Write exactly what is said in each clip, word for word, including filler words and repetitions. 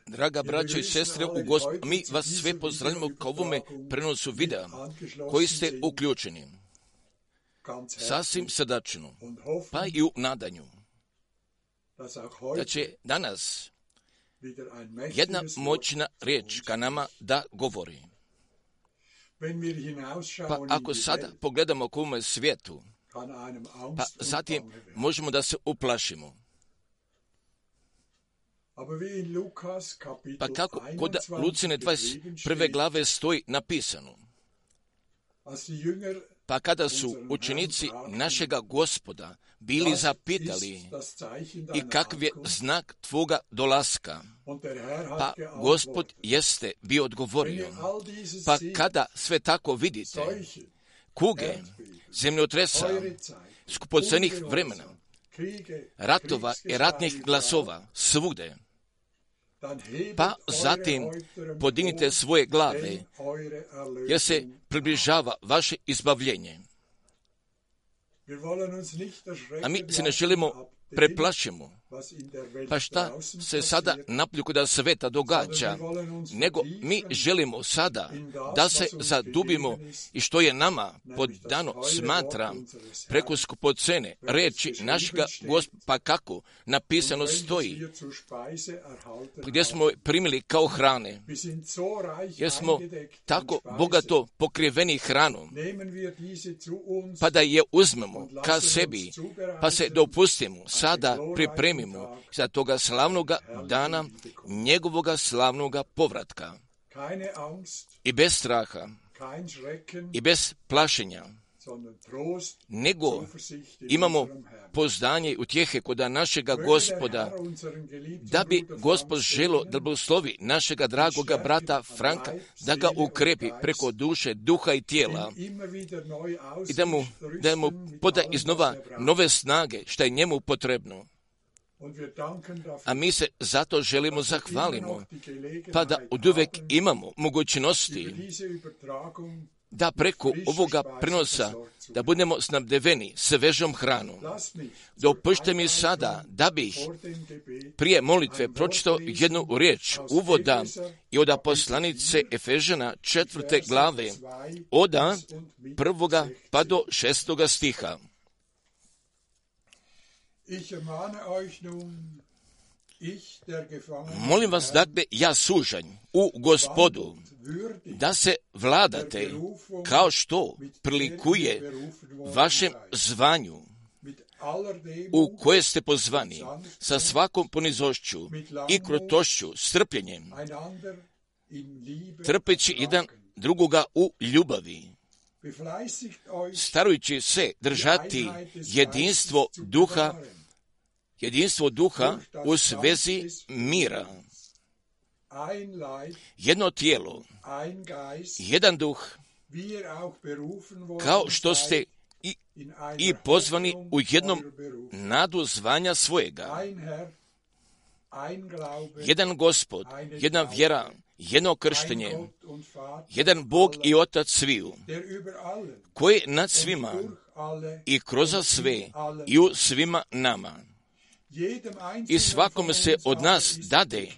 Draga braćo i sestre u Gospodu, mi vas sve pozdravljamo kao ovome prenosu videa koji ste uključeni. Sasvim srdačno, pa i u nadanju, da će danas jedna moćna riječ ka nama da govori. Pa ako sada pogledamo k ovome svijetu, pa zatim možemo da se uplašimo. Pa kako kod Lucine dvadeset prve glave stoji napisano, pa kada su učenici našega Gospoda bili zapitali i kakav je znak tvoga dolaska, pa Gospod jeste bio odgovorio, pa kada sve tako vidite, kuge, zemljotresa, skupocjenih vremena, ratova i ratnih glasova svugde, pa zatim podignite svoje glave, jer se približava vaše izbavljenje. A mi se ne želimo preplašimo, Pa šta se sada napolju kod sveta događa, nego mi želimo sada da se zadubimo i što je nama podano smatra preko skupocene reči našega Gospoda, pa kako napisano stoji, gdje smo primili kao hrane, jer smo tako bogato pokriveni hranom, pa da je uzmemo ka sebi, pa se dopustimo, sada pripremimo za toga slavnoga dana, njegovoga slavnoga povratka. I bez straha, i bez plašenja, nego imamo pouzdanje i utjehe kod našega Gospoda, da bi Gospod želo da blagoslovi našega dragoga brata Franka, da ga ukrepi preko duše, duha i tijela i da mu, da mu poda iznova nove snage, što je njemu potrebno. A mi se zato želimo zahvalimo, pa da oduvek imamo mogućnosti da preko ovoga prenosa da budemo snabdeveni svežom hranom. Dopušte mi sada da bih prije molitve pročitao jednu riječ uvoda i od poslanice Efežana četvrte glave, od prvoga pa do šestoga stiha. Molim vas, dakle, ja sužanj u Gospodu, da se vladate kao što prilikuje vašem zvanju u koje ste pozvani, sa svakom ponizošću i krotošću, strpljenjem, trpeći jedan drugoga u ljubavi, starajući se držati jedinstvo duha, jedinstvo duha u svezi mira. Jedno tijelo, jedan duh, kao što ste i, i pozvani u jednom nadu zvanja svojega. Jedan Gospod, jedna vjera, jedno krštenje, jedan Bog i Otac sviju, koji nad svima i kroz sve i u svima nama. I svakome se od nas dade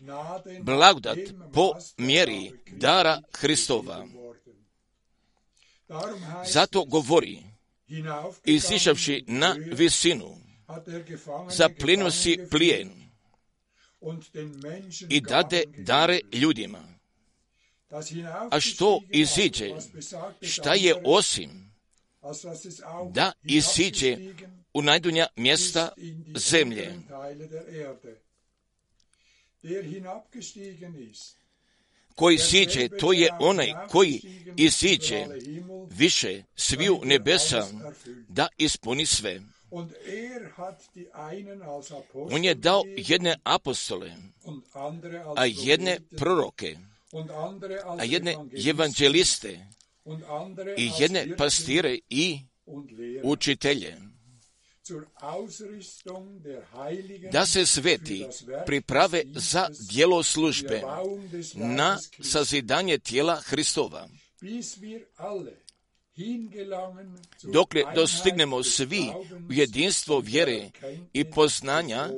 blagodat po mjeri dara Hristova. Zato govori, izišavši na visinu, zaplijenio si plijen i dade dare ljudima. A što iziđe, šta je osim da iziđe u najdunja mjesta zemlje. Koji siđe, to je onaj koji isiđe više sviju nebesa da ispuni sve. On je dao jedne apostole, a jedne proroke, a jedne evanđeliste i jedne pastire i učitelje, da se sveti priprave za djelo službe na sazidanje tijela Hristova, dokle dostignemo svi u jedinstvo vjere i poznanja,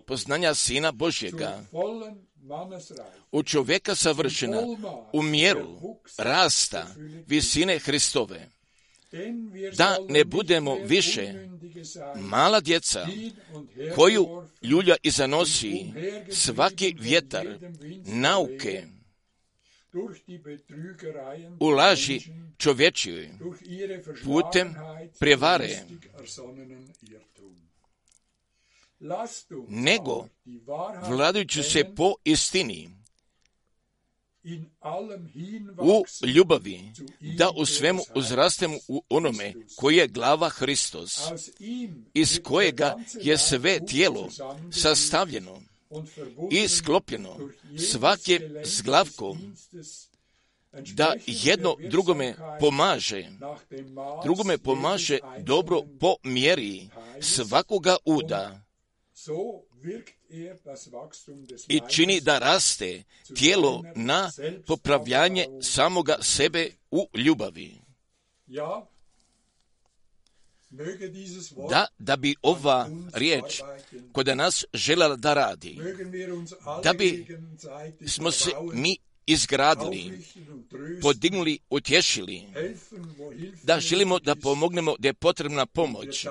poznanja Sina Božjega, u čovjeka savršena, u mjeru rasta visine Hristove, da ne budemo više mala djeca koju ljulja i zanosi svaki vjetar nauke u laži čovječjoj putem prevare, nego vladajući se po istini u ljubavi, da u svemu uzrastemo u onome koji je glava Hristos, iz kojega je sve tijelo sastavljeno i sklopljeno svake zglavko, da jedno drugome pomaže, drugome pomaže dobro po mjeri svakoga uda i čini da raste tijelo na popravljanje samoga sebe u ljubavi. da, da bi ova riječ kod nas željela da radi, da bi smo se mi izgradili, podignuli, utješili, da želimo da pomognemo gdje je potrebna pomoć,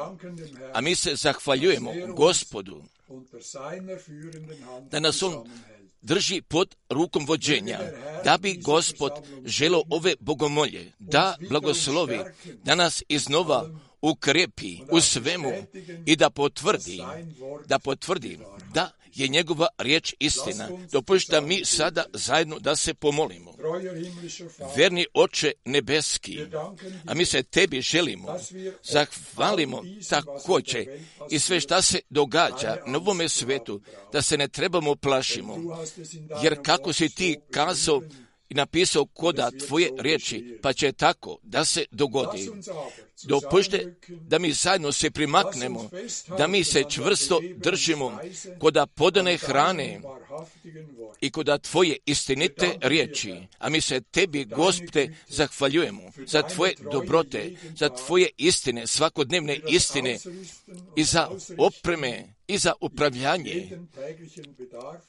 a mi se zahvaljujemo Gospodu da nas On drži pod rukom vođenja, da bi Gospod želio ove bogomolje da blagoslovi, da nas iznova ukrepi u svemu i da potvrdi, da potvrdi da je njegova riječ istina. Dopušta mi sada zajedno da se pomolimo. Verni Oče nebeski, a mi se tebi želimo, zahvalimo također i sve šta se događa na ovome svetu, da se ne trebamo plašimo, jer kako si ti kazao i napisao koda tvoje riječi, pa će tako da se dogodi. Dopušte da mi zajedno se primaknemo, da mi se čvrsto držimo koda podane hrane i koda tvoje istinite riječi, a mi se tebi, Gospode, zahvaljujemo za tvoje dobrote, za tvoje istine, svakodnevne istine i za opreme i za upravljanje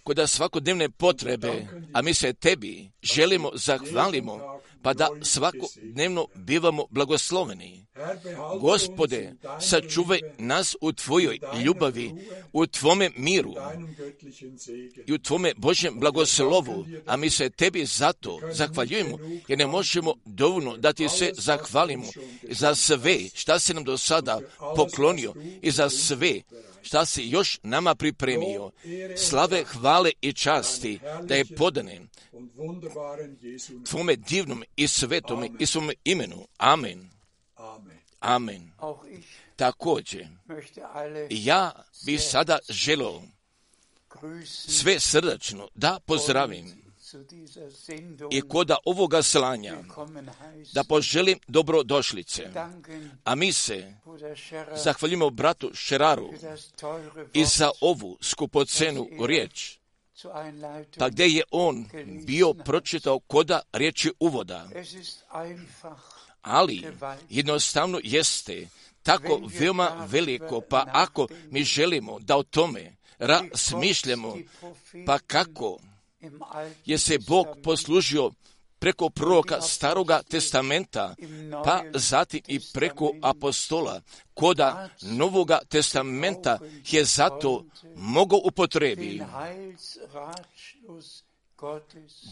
koda svakodnevne potrebe, a mi se tebi želimo, zahvalimo, pa da svakodnevno bivamo blagosloveni. Gospode, sačuvaj nas u tvojoj ljubavi, u tvome miru i u tvome Božjem blagoslovu, a mi se tebi zato zahvaljujemo, jer ne možemo dovoljno da ti se zahvalimo za sve šta si nam do sada poklonio i za sve šta si još nama pripremio. Slave, hvale i časti da je podane tvome divnom i svetome i svome imenu. Amen. Amen. Također, ja bi sada želio sve srdačno da pozdravim i koda ovoga slanja da poželim dobrodošlice, a mi se zahvaljujemo bratu Šeraru i za ovu skupocenu riječ, pa gdje je on bio pročitao koda riječi uvoda, ali jednostavno jeste tako veoma veliko, pa ako mi želimo da o tome razmišljamo, pa kako je se Bog poslužio preko proroka Staroga testamenta, pa zatim i preko apostola, koda Novoga testamenta je zato mogao upotrebi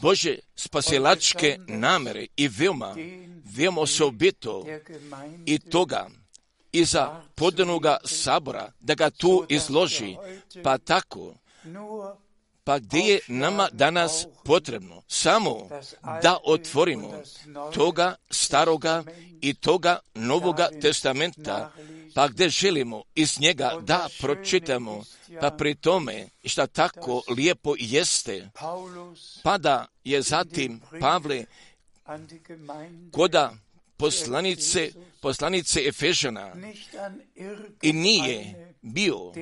Bože spasilačke namere i veoma, veoma osobito i toga iza podanoga sabora, da ga tu izloži, pa tako, pa gdje je nama danas potrebno samo da otvorimo toga staroga i toga Novoga testamenta, pa gdje želimo iz njega da pročitamo, pa pri tome šta tako lijepo jeste, pa da je zatim Pavle koda poslanice, poslanice Efežana i nije bio,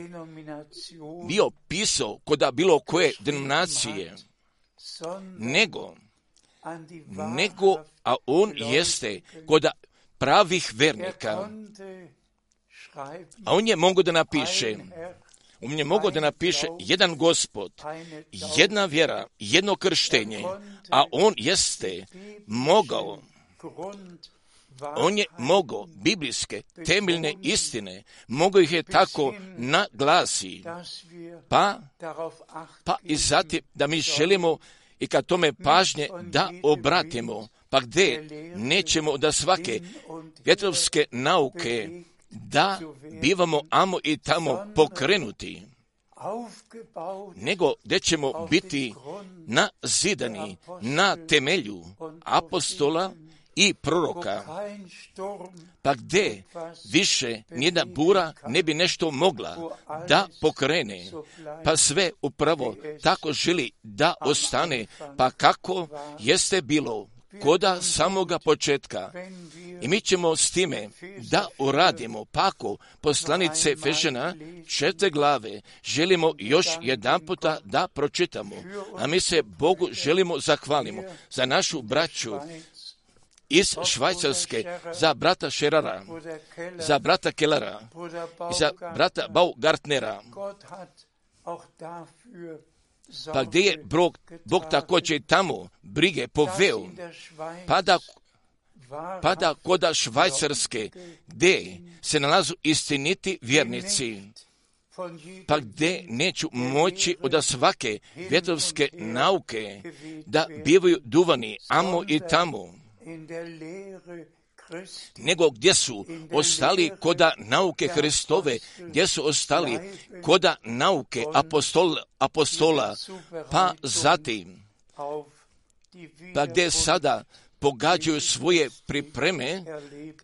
bio pisao koda bilo koje denominacije, nego, nego, a on jeste koda pravih vernika, a on je mogao da napiše, on je mogao da napiše jedan Gospod, jedna vjera, jedno krštenje, a on jeste mogao, on je mogao biblijske temeljne istine, mogao ih je tako naglasi, pa, pa i zatim da mi želimo i kad tome pažnje da obratimo, pa gdje nećemo da svake vjetrovske nauke da bivamo amo i tamo pokrenuti, nego gdje ćemo biti nazidani na temelju apostola i proroka, pa gdje više nijedna bura ne bi nešto mogla da pokrene, pa sve upravo tako želi da ostane, pa kako jeste bilo koda samoga početka. I mi ćemo s time da uradimo, pa ako poslanice Efežana četiri glave želimo još jedan puta da pročitamo, a mi se Bogu želimo zahvalimo za našu braću iz Švajcarske, za brata Scherera, za brata Kellera i za brata Baugartnera. Pa gdje je Bog, Bog također tamo brige poveo, pa da, pa da koda Švajcarske, gdje se nalazu istiniti vjernici, pa gdje neću moći od svake vjetrovske nauke da bivaju duvani amo i tamo, nego gdje su ostali koda nauke Hristove, gdje su ostali koda nauke apostola, apostola pa zatim, pa gdje sada pogađaju svoje pripreme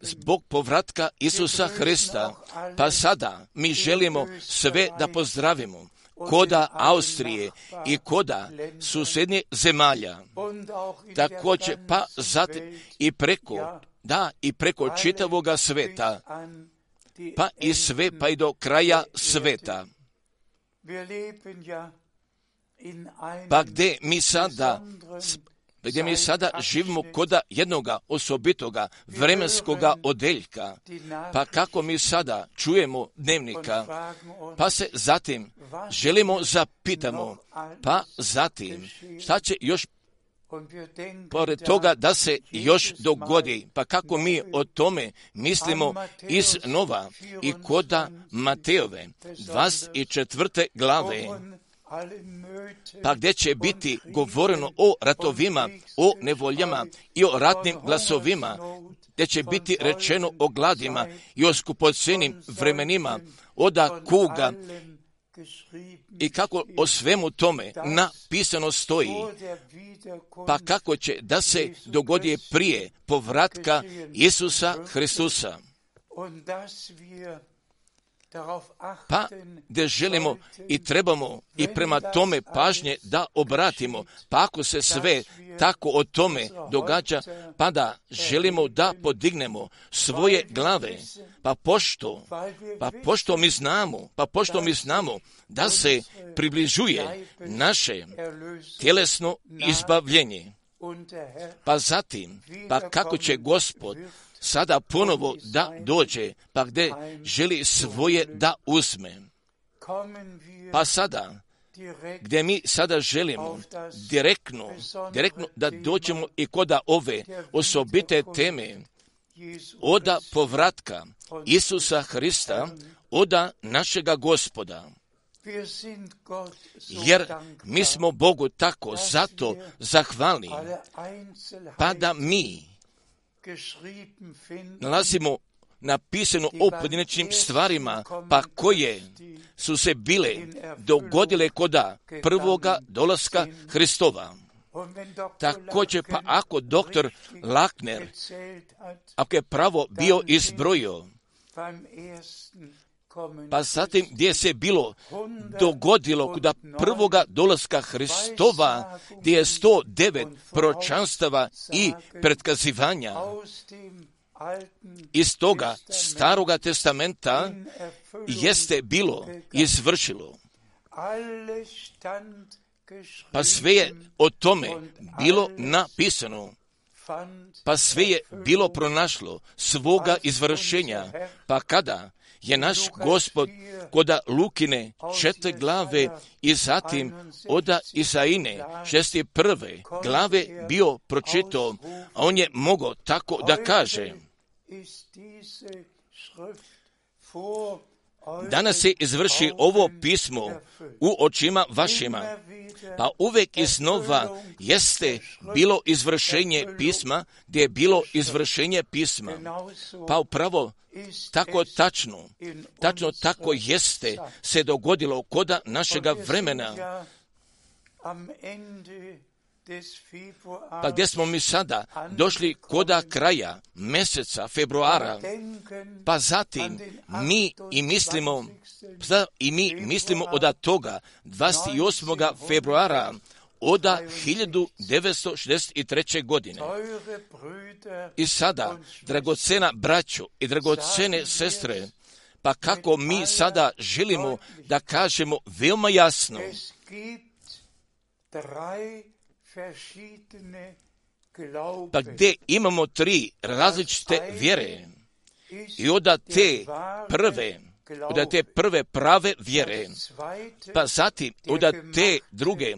zbog povratka Isusa Hrista, pa sada mi želimo sve da pozdravimo koda Austrije i koda susjednje zemalja, također pa zatim i preko, da i preko čitavoga sveta, pa i sve pa i do kraja sveta. Pa gdje mi sada gdje mi sada živimo koda jednoga osobitoga vremenskoga odeljka, pa kako mi sada čujemo dnevnika, pa se zatim želimo zapitamo, pa zatim šta će još pored toga da se još dogodi, pa kako mi o tome mislimo iz Nova i koda Mateove dvadeset četvrte glave, pa gdje će biti govoreno o ratovima, o nevoljama i o ratnim glasovima, gdje će biti rečeno o gladima i o skupocenim vremenima, oda kuga, i kako o svemu tome napisano stoji, pa kako će da se dogodi prije povratka Isusa Hristusa. Pa gdje želimo i trebamo i prema tome pažnje da obratimo, pa ako se sve tako o tome događa, pa da želimo da podignemo svoje glave, pa pošto, pa pošto mi znamo, pa pošto mi znamo da se približuje naše tjelesno izbavljenje, pa zatim, pa kako će Gospod sada ponovo da dođe, pa gdje želi svoje da uzme. Pa sada, gdje mi sada želimo direktno, direktno da dođemo i koda ove osobite teme, oda povratka Isusa Hrista, oda našega Gospoda. Jer mi smo Bogu tako zato zahvalni, pa da mi nalazimo napisano o pojedinačnim stvarima, pa koje su se bile dogodile koda prvoga dolaska Hristova. Također, pa ako doktor Lakner, ako je pravo bio izbrojio, pa zatim gdje se bilo dogodilo koda prvoga dolaska Hristova, gdje je sto devet proročanstava i pretkazivanja iz toga staroga testamenta jeste bilo izvršilo. Pa sve je o tome bilo napisano, pa sve je bilo pronašlo svoga izvršenja, pa kada je naš Gospod koda Lukine četiri glave i zatim oda Isaine šesti prve glave bio pročitao, a on je mogao tako da kaže: danas se izvrši ovo pismo u očima vašima, pa uvijek iznova jeste bilo izvršenje pisma, gdje je bilo izvršenje pisma. Pa upravo tako tačno, tačno tako jeste se dogodilo koda našega vremena. Pa gdje smo mi sada došli koda kraja mjeseca februara, pa zatim mi i mislimo, i mi mislimo od toga dvadeset osmog februara od hiljadu devetsto šezdeset treće. godine. I sada, dragocena braćo i dragocene sestre, pa kako mi sada želimo da kažemo veoma jasno, pa gdje imamo tri različite vjere i onda te prve, onda te prve prave vjere, pa zatim onda te druge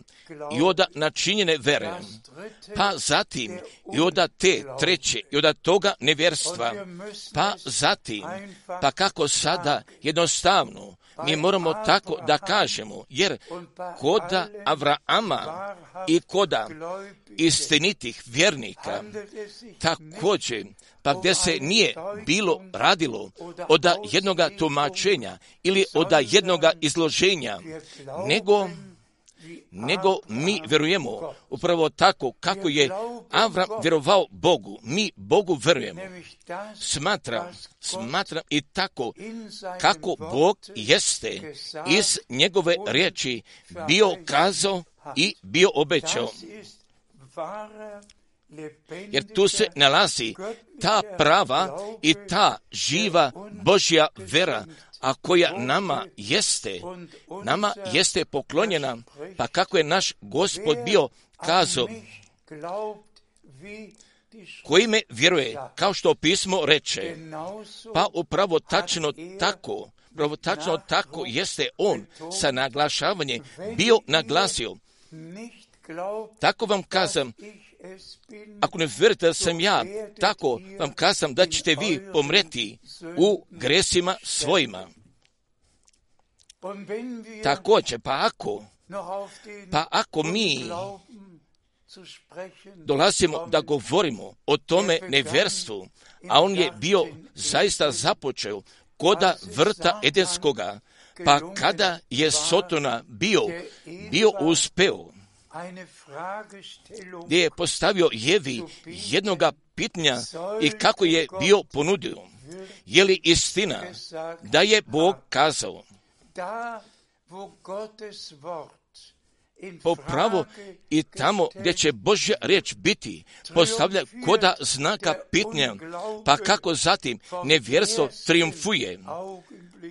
i onda načinjene vere, pa zatim i onda te treće i onda toga nevjerstva, pa zatim, pa kako sada jednostavno mi moramo tako da kažemo, jer koda Avraama i koda istinitih vjernika također, pa gdje se nije bilo radilo od jednoga tumačenja ili od jednoga izloženja, nego nego mi vjerujemo upravo tako kako je Avram vjerovao Bogu. Mi Bogu vjerujemo. Smatram, smatram i tako kako Bog jeste iz njegove riječi bio kazao i bio obećao. Jer tu se nalazi ta prava i ta živa Božja vera, a koja nama jeste, nama jeste poklonjena, pa kako je naš Gospod bio kazao, koji me vjeruje, kao što pismo reče, pa upravo tačno tako, upravo tačno tako jeste on sa naglašavanjem bio naglasio. Tako vam kazam, ako ne vjerujete da sam ja, tako vam kazam da ćete vi pomreti u gresima svojima. Također, pa ako, pa ako mi dolazimo da govorimo o tome nevjerstvu, a on je bio zaista započeo koda vrta Edenskoga, pa kada je Sotona bio, bio uspeo, gdje je postavio Jevi jednoga pitanja i kako je bio ponudio. Je li istina da je Bog kazao? Po pravo i tamo gdje će Božja riječ biti postavlja koda znaka pitanja, pa kako zatim nevjerstvo triumfuje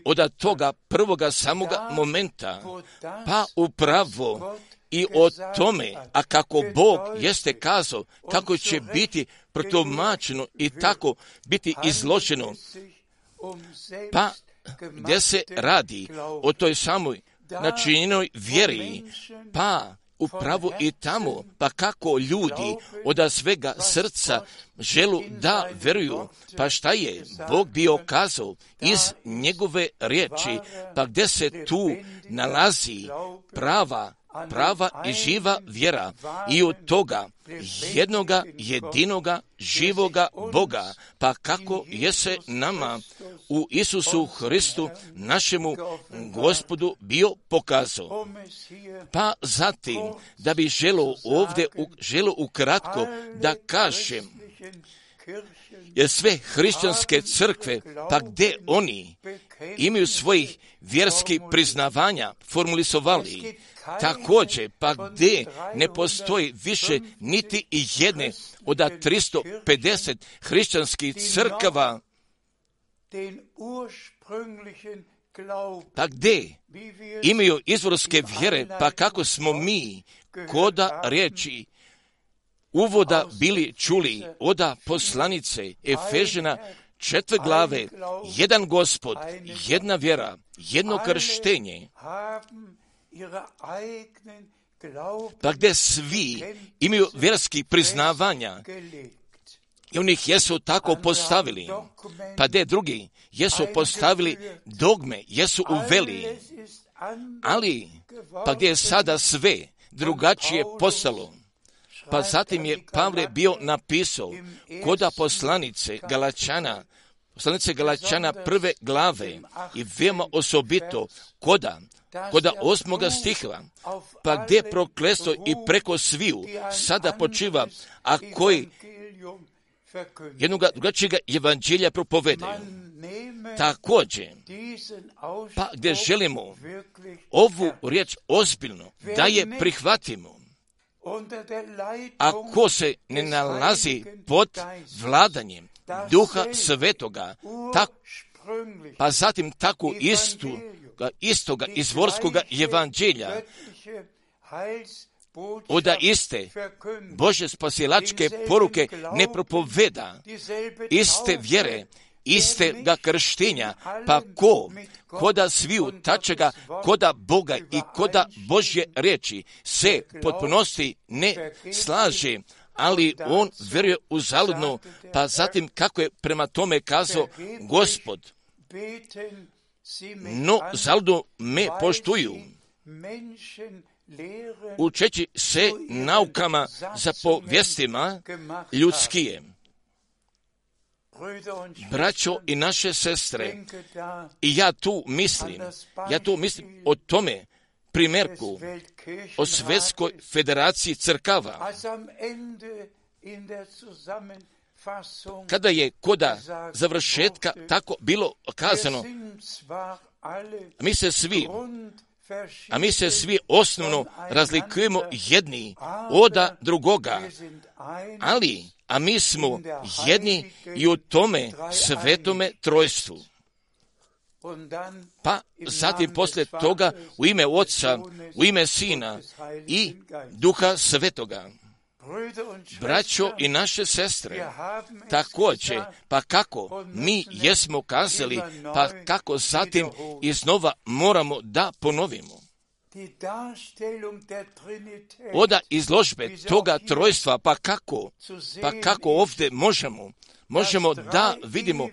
od toga prvoga samoga momenta, pa upravo i o tome, a kako Bog jeste kazao, kako će biti protumačeno i tako biti izloženo, pa gdje se radi o toj samoj načinjenoj vjeri, pa upravo i tamo, pa kako ljudi od svega srca želu da vjeruju, pa šta je Bog bio kazao iz njegove riječi, pa gdje se tu nalazi prava prava i živa vjera i od toga jednoga jedinoga živoga Boga, pa kako je se nama u Isusu Hristu, našemu Gospodu, bio pokazao. Pa zatim, da bi želo ovdje, želo ukratko da kažem, jer sve hrišćanske crkve, pa gdje oni imaju svojih vjerskih priznavanja formulizovali, također, pa gdje ne postoji više niti i jedne od tristo pedeset hrišćanskih crkava, pa gdje imaju izvorske vjere, pa kako smo mi koda riječi uvoda bili čuli oda poslanice Efežena četiri glave, jedan Gospod, jedna vjera, jedno krštenje, pa gdje svi imaju vjerskih priznavanja i oni ih jesu tako postavili, pa gdje drugi jesu postavili dogme, jesu uveli, ali pa gdje je sada sve drugačije postalo. Pa zatim je Pavle bio napisao koda poslanice Galačana, poslanice Galačana prve glave i veoma osobito koda, koda osmoga stiha, pa gdje prokletstvo i preko sviju sada počiva, a koji jednoga drugačijega evanđelja propovedaju. Također, pa gdje želimo ovu riječ ozbiljno da je prihvatimo, ako se ne nalazi pod vladanjem Duha Svetoga, tak, pa zatim tako istu, istoga izvorskoga evanđelja, oda iste Bože spasilačke poruke ne propoveda, iste vjere, iste ga krštenja, pa ko, koda sviju tačega, koda Boga i koda Božje riječi se potpunosti ne slaže, ali on vjeruje u zaludno, pa zatim kako je prema tome kazao Gospod, no zaludno me poštuju, učeći se naukama za povjestima ljudskije. Braćo i naše sestre, i ja tu mislim, ja tu mislim o tome primjerku, o Svjetskoj federaciji crkava, kada je koda završetka tako bilo kazano, mi se svi, a mi se svi osnovno razlikujemo jedni oda drugoga, ali, a mi smo jedni i u tome svetome trojstvu. Pa zatim poslije toga u ime Otca, u ime Sina i Duha Svetoga. Braćo i naše sestre, također, pa kako mi jesmo kazali, pa kako zatim iznova moramo da ponovimo. Oda izložbe toga trojstva, pa kako, pa kako ovdje možemo, možemo da vidimo,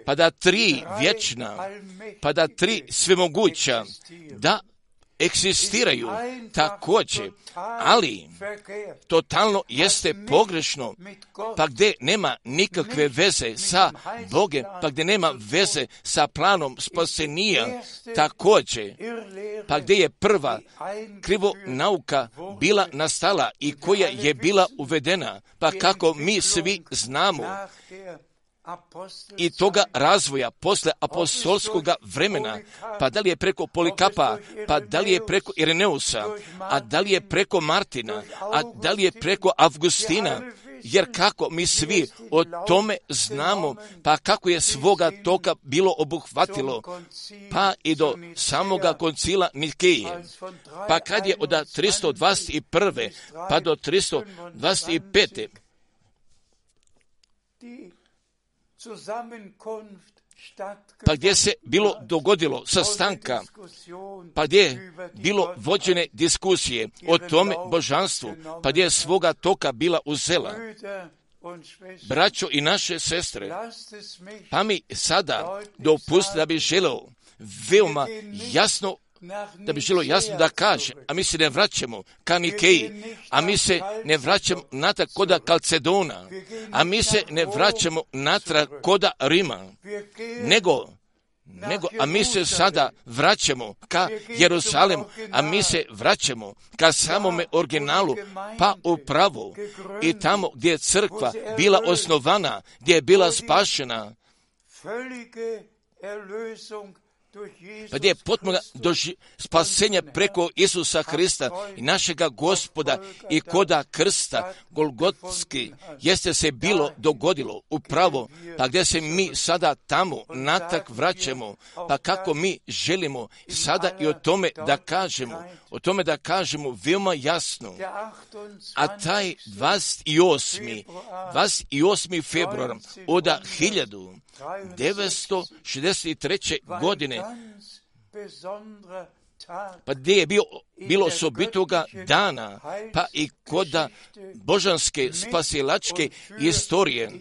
pa da tri vječna, pa da tri svemoguća, da egzistiraju također, ali totalno jeste pogrešno, pa gdje nema nikakve veze sa Bogom, pa gdje nema veze sa planom spasenija također, pa gdje je prva krivo nauka bila nastala i koja je bila uvedena, pa kako mi svi znamo, i toga razvoja posle apostolskoga vremena, pa da li je preko Polikapa, pa da li je preko Ireneusa, a da li je preko Martina, a da li je preko Avgustina, jer kako mi svi o tome znamo, pa kako je svoga toka bilo obuhvatilo, pa i do samoga koncila Nikeje, pa kad je od tristo dvadeset prve pa do tristo dvadeset pete pa gdje se bilo dogodilo sastanka, pa gdje je bilo vođene diskusije o tome božanstvu, pa gdje je svoga toka bila uzela. Braćo i naše sestre, pa mi sada dopustite da bi želeo veoma jasno da bi želo jasno da kaže, a mi se ne vraćamo ka Nikeji, a mi se ne vraćamo natrag koda Kalcedona, a mi se ne vraćamo natrag koda Rima, nego, nego, a mi se sada vraćamo ka Jerusalemu, a mi se vraćamo ka samome originalu, pa upravo i tamo gdje je crkva bila osnovana, gdje je bila spašena, pa gdje je potpuno doži spasenja preko Isusa Hrista i našega Gospoda i koda krsta Golgotski jeste se bilo dogodilo upravo, pa gdje se mi sada tamo natrag vraćamo, pa kako mi želimo sada i o tome da kažemo, o tome da kažemo veoma jasno, a taj dvadeset osmi februar od hiljadu devetsto šezdeset treće. godine, pa gdje je bio, bilo osobitoga dana, pa i koda božanske spasilačke istorije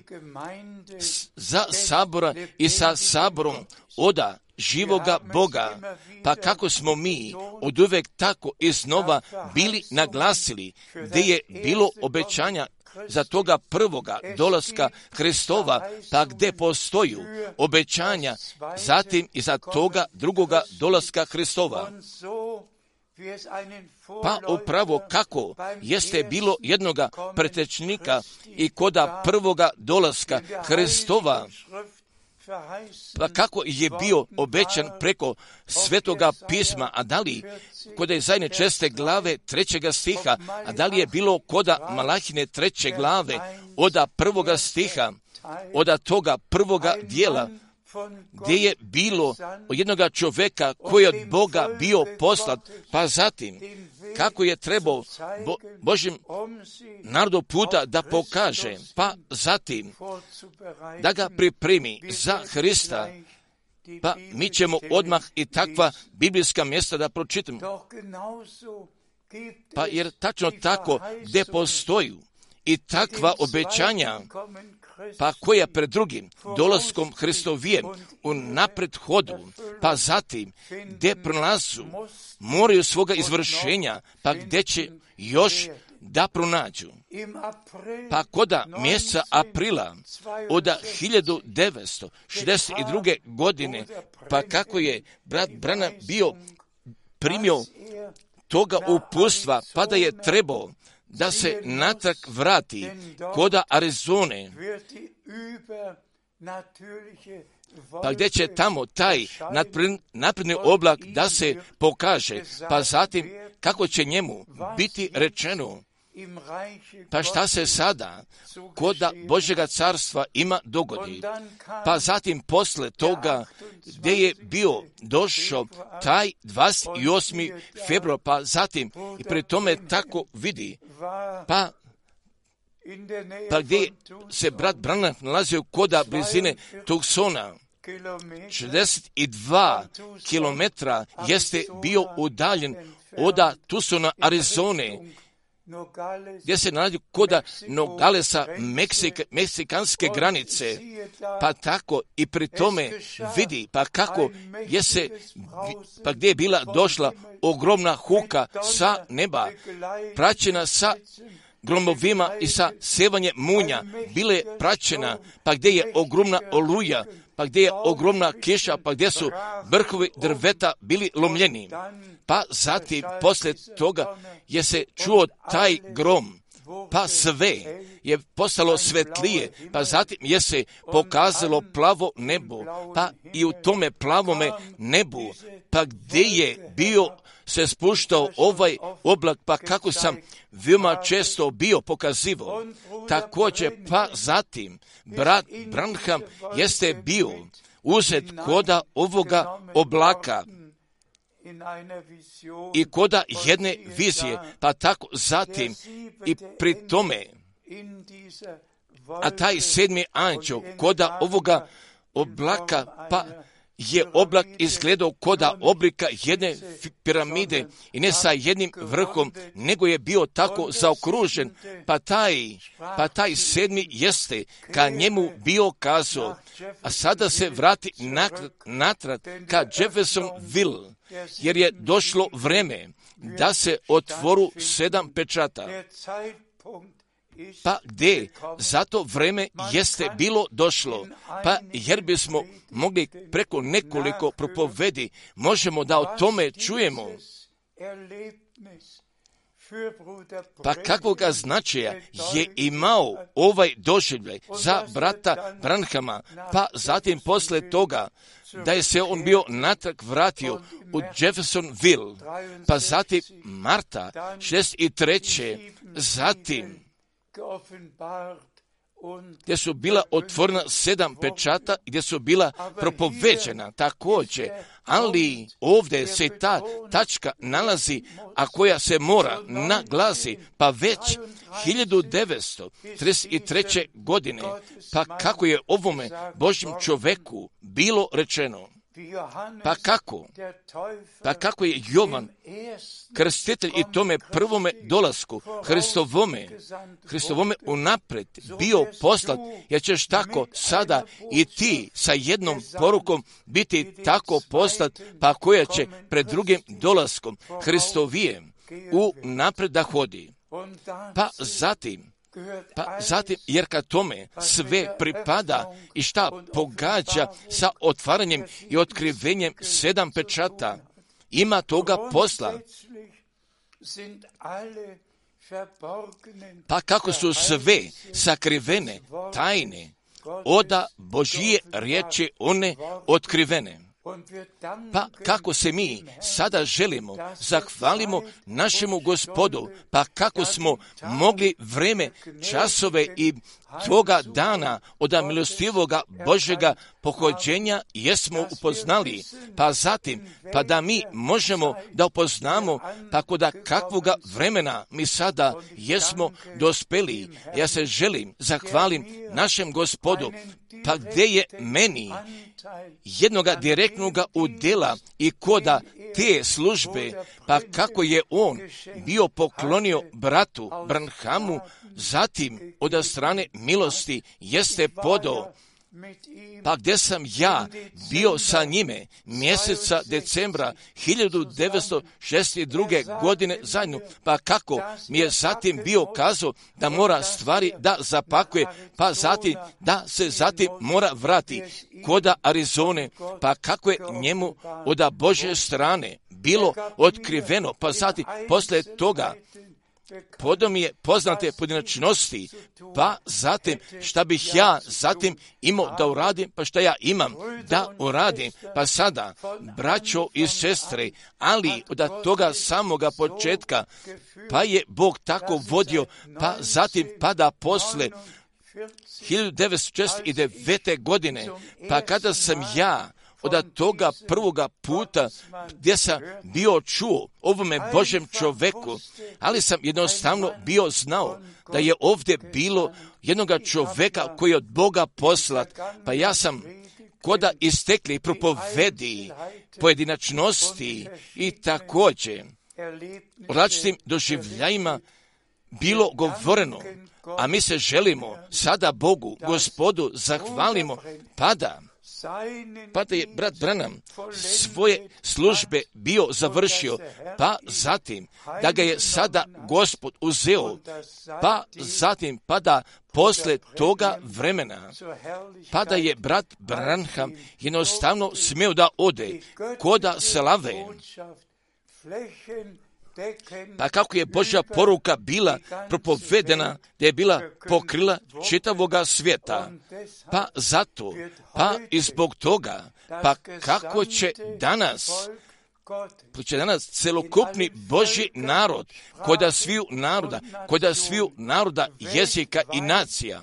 za sabora i sa saborom oda živoga Boga, pa kako smo mi od uvek tako iznova bili naglasili, gdje je bilo obećanja za toga prvoga dolaska Hristova, pa gdje postoju obećanja zatim i za toga drugoga dolaska Hristova. Pa upravo kako jeste bilo jednoga pretečnika i koda prvoga dolaska Hristova, pa kako je bio obećan preko Svetoga pisma, a da li koda je zajedne česte glave trećega stiha, a da li je bilo koda Malahine treće glave oda prvoga stiha, oda toga prvoga dijela, gdje je bilo od jednoga čovjeka koji je od Boga bio poslat, pa zatim kako je trebao Bo, Božjem narodu puta da pokaže, pa zatim da ga pripremi za Hrista, pa mi ćemo odmah i takva biblijska mjesta da pročitamo. Pa jer tačno tako gdje postoji i takva obećanja, pa koja pred drugim dolaskom Hristovijem u napred hodu, pa zatim gdje pronalazu moraju svoga izvršenja, pa gdje će još da pronađu. Pa koda mjeseca aprila od hiljadu devetsto šezdeset druge. godine, pa kako je brat Branham bio primio toga uputstva, pa da je trebao da se natrag vrati koda Arizone, pa gdje će tamo taj napredni oblak da se pokaže, pa zatim kako će njemu biti rečeno, pa šta se sada koda Božjega carstva ima dogodi. Pa zatim posle toga gdje je bio došao taj dvadeset osmi februar, pa zatim i pri tome tako vidi, pa pa gdje se brat Branham nalazio koda blizine Tucsona, šezdeset dva kilometra jeste bio udaljen od Tucsona, Arizone, gdje se nalazi koda Nogalesa, Meksik, meksikanske granice, pa tako i pri tome vidi, pa kako je se, pa gdje je bila došla ogromna huka sa neba, praćena sa gromovima i sa sevanjem munja, bile praćena, pa gdje je ogromna oluja, pa gdje je ogromna kiša, pa gdje su vrhovi drveta bili lomljeni. Pa zatim, poslije toga, je se čuo taj grom, pa sve je postalo svetlije, pa zatim je se pokazalo plavo nebo, pa i u tome plavome nebu, pa gdje je bio se spuštao ovaj oblak, pa kako sam veoma često bio pokazivao. Također, pa zatim, brat Branham jeste bio uzet koda ovoga oblaka i koda jedne vizije, pa tako zatim i pri tome, a taj sedmi anđeo koda ovoga oblaka, pa je oblak izgledao koda oblika jedne piramide i ne sa jednim vrhom, nego je bio tako zaokružen, pa taj, pa taj sedmi jeste ka njemu bio kazao, a sada se vrati natrag ka Jeffersonville, jer je došlo vreme da se otvoru sedam pečata. Pa gdje? Zato vreme jeste bilo došlo. Pa jer bismo mogli preko nekoliko propovedi, možemo da o tome čujemo. Pa kakvoga značaja je imao ovaj doživljaj za brata Branhama, pa zatim posle toga da je se on bio natrag vratio u Jeffersonville, pa zatim marta šezdeset treće. zatim gdje su bila otvorena sedam pečata, gdje su bila propoveđena također, ali ovdje se ta tačka nalazi, a koja se mora naglasi, pa već hiljadu devetsto trideset treće. godine, pa kako je ovome Božjem čoveku bilo rečeno. Pa kako? Pa kako je Jovan, krstitelj i tome prvome dolasku, Hristovome, Hristovome unapred bio poslat, jer ćeš tako sada i ti sa jednom porukom biti tako poslat, pa koja će pred drugim dolaskom Hristovijem unapred da hodi. Pa zatim, Pa zatim, jer kad tome sve pripada i šta pogađa sa otvaranjem i otkrivenjem sedam pečata, ima toga posla. Pa kako su sve sakrivene tajne oda Božije riječi one otkrivene. Pa kako se mi sada želimo, zahvalimo našemu Gospodu, pa kako smo mogli vreme, časove i toga dana od milostivoga Božjega pohođenja jesmo upoznali, pa zatim, pa da mi možemo da upoznamo, pa koda kakvoga vremena mi sada jesmo dospeli. Ja se želim, zahvalim našem Gospodu, pa gdje je meni jednoga direktnoga udjela i koda te službe, pa kako je on bio poklonio bratu Branhamu, zatim od strane milosti jeste podao, pa gdje sam ja bio sa njime mjeseca decembra hiljadu devetsto šezdeset druge. godine zajedno, pa kako mi je zatim bio kazao da mora stvari da zapakuje, pa zatim da se zatim mora vrati koda Arizone, pa kako je njemu od Božje strane bilo otkriveno, pa zatim posle toga podao mi je poznate pojedinačnosti, pa zatim šta bih ja zatim imao da uradim, pa šta ja imam da uradim, pa sada, braćo i sestre, ali od toga samoga početka, pa je Bog tako vodio, pa zatim pa da posle hiljadu devetsto šezdeset devete. godine, pa kada sam ja od toga prvoga puta gdje sam bio čuo ovome Božjem čoveku, ali sam jednostavno bio znao da je ovdje bilo jednoga čoveka koji je od Boga poslat, pa ja sam koda istekli propovedi, pojedinačnosti i također o različitim doživljajima bilo govoreno, a mi se želimo sada Bogu, Gospodu, zahvalimo, pada Pa da je brat Branham svoje službe bio završio, pa zatim da ga je sada Gospod uzeo, pa zatim pa da posle toga vremena, pa da je brat Branham jednostavno smio da ode koda slave. Pa kako je Božja poruka bila propovedena, da je bila pokrila čitavoga svijeta. Pa zato, pa i zbog toga, pa kako će danas, pa će danas celokupni Božji narod, koda sviju naroda, koda sviju naroda, jezika i nacija,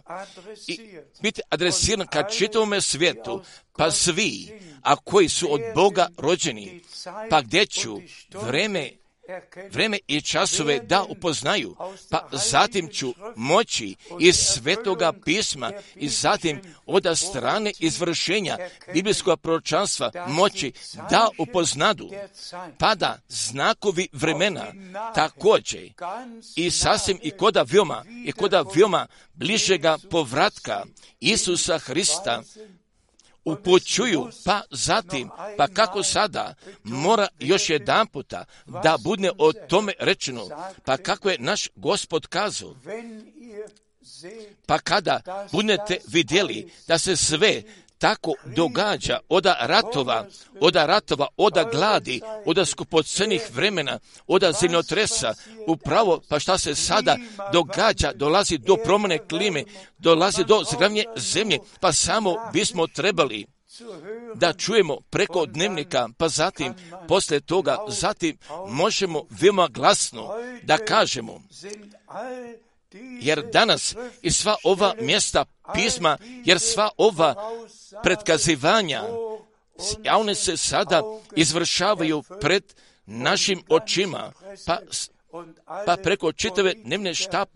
i biti adresiran ka čitavome svijetu, pa svi, a koji su od Boga rođeni, pa gdje ću vreme vreme i časove da upoznaju, pa zatim ću moći iz Svetoga pisma i zatim od strane izvršenja biblijskog proročanstva moći da upoznadu, pa da znakovi vremena također i sasvim i koda veoma i koda veoma bližega povratka Isusa Hrista upućuju, pa zatim, pa kako sada mora još jedan puta da bude o tome rečeno, pa kako je naš Gospod kazao, pa kada budete vidjeli da se sve tako događa oda ratova, oda ratova, oda gladi, oda skupocenih vremena, oda zemljotresa, upravo pa šta se sada događa, dolazi do promjene klime, dolazi do zagravnje zemlje, pa samo bismo trebali da čujemo preko dnevnika, pa zatim, posle toga, zatim možemo veoma glasno da kažemo, jer danas i sva ova mjesta pisma, jer sva ova predkazivanja, one se sada izvršavaju pred našim očima, pa, pa preko čitave dnevne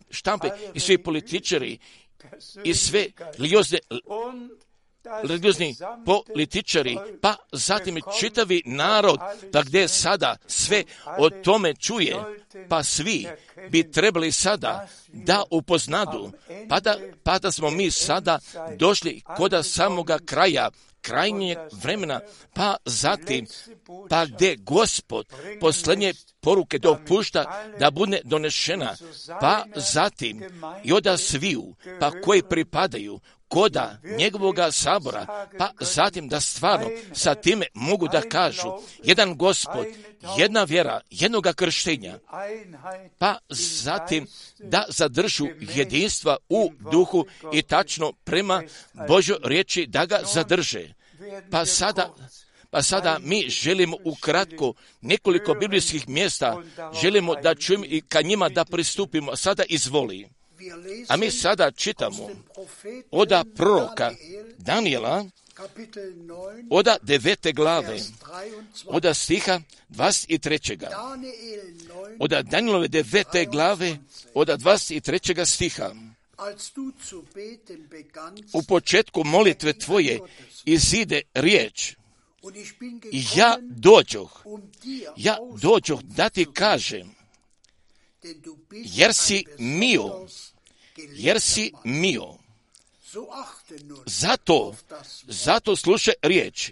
štampe i svi političari i sve religiozne religiozni političari, pa zatim čitavi narod, pa gdje sada sve o tome čuje, pa svi bi trebali sada da upoznadu, pa da, pa da smo mi sada došli koda samoga kraja, krajnjeg vremena, pa zatim, pa gdje Gospod posljednje poruke dopušta da bude donešena, pa zatim i oda sviju, pa koji pripadaju koda njegovoga sabora, pa zatim da stvarno sa time mogu da kažu jedan Gospod, jedna vjera, jednoga krštenja, pa zatim da zadržu jedinstva u duhu i tačno prema Božoj riječi da ga zadrže. Pa sada, pa sada mi želimo ukratko nekoliko biblijskih mjesta, želimo da čujemo i ka njima da pristupimo. Sada izvoli. A mi sada čitamo od proroka Danijela, od devete glave, od stiha dvadeset trećega. Od Danilove devete glave, od dvadeset trećega stiha. U početku molitve tvoje izide riječ. I ja dođoh, ja dođoh da ti kažem, jer si mio, jer si mio. Zato, zato slušaj riječ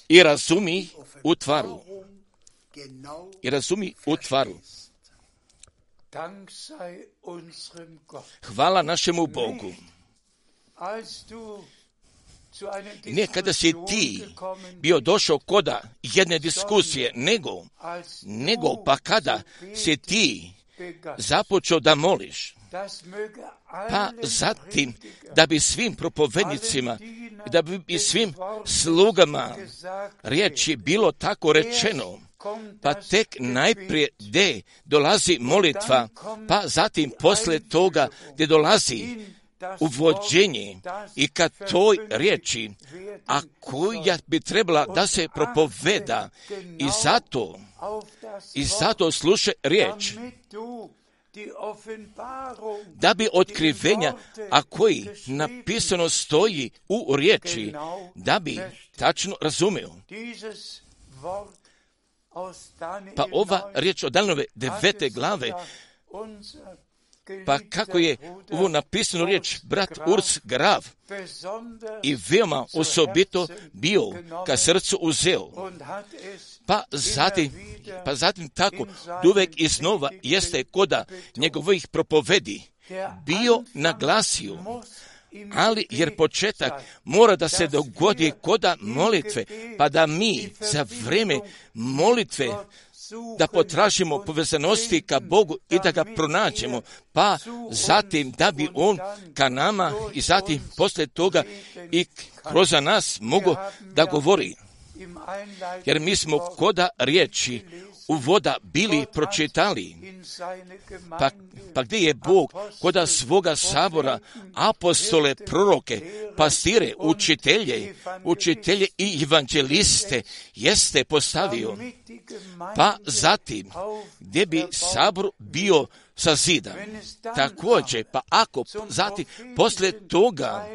i razumi u tvaru. I razumi u tvaru. Hvala našemu Bogu. Ne kada si ti bio došao koda jedne diskusije, nego, nego pa kada si ti započeo da moliš, pa zatim da bi svim propovednicima, da bi svim slugama riječi bilo tako rečeno, pa tek najprije gdje dolazi molitva, pa zatim posle toga gdje dolazi uvođenje i kad toj riječi, a koja bi trebala da se propoveda, i zato, i zato slušaj riječ, da bi otkrivenja, a koji napisano stoji u riječi, da bi tačno razumio. Pa ova riječ od Danilove devete glave, pa kako je ovo napisano riječ brat Urs Graf i veoma osobito bio ka srcu uzeo. Pa zatim, pa zatim tako, uvek iznova jeste koda njegovih propovedi bio naglasio, ali jer početak mora da se dogodi koda molitve, pa da mi za vreme molitve da potražimo povezanosti ka Bogu i da ga pronađemo, pa zatim da bi On ka nama i zatim posle toga i kroz nas mogu da govori. Jer mi smo koda riječi uvoda bili pročitali, pa, pa gdje je Bog koda svoga sabora apostole, proroke, pastire, učitelje, učitelje i evanđeliste jeste postavio, pa zatim gdje bi sabor bio sazidan. Također, pa ako zatim posle toga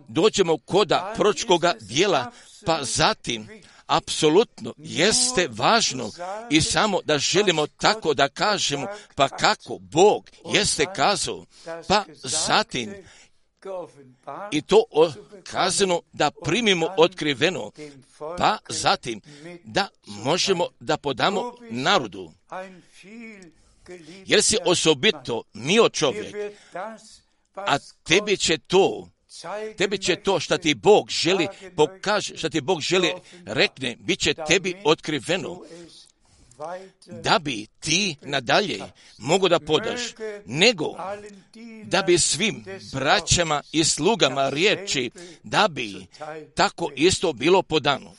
dođemo koda proročkoga dijela, pa zatim apsolutno jeste važno i samo da želimo tako da kažemo, pa kako Bog jeste kazao, pa zatim i to kazano da primimo otkriveno, pa zatim da možemo da podamo narodu. Jer si osobito mio čovjek, a tebi će to Tebi će to što ti Bog želi pokaže, što ti Bog želi rekne, bit će tebi otkriveno, da bi ti nadalje mogu da podaš, nego da bi svim braćama i slugama riječi, da bi tako isto bilo podano.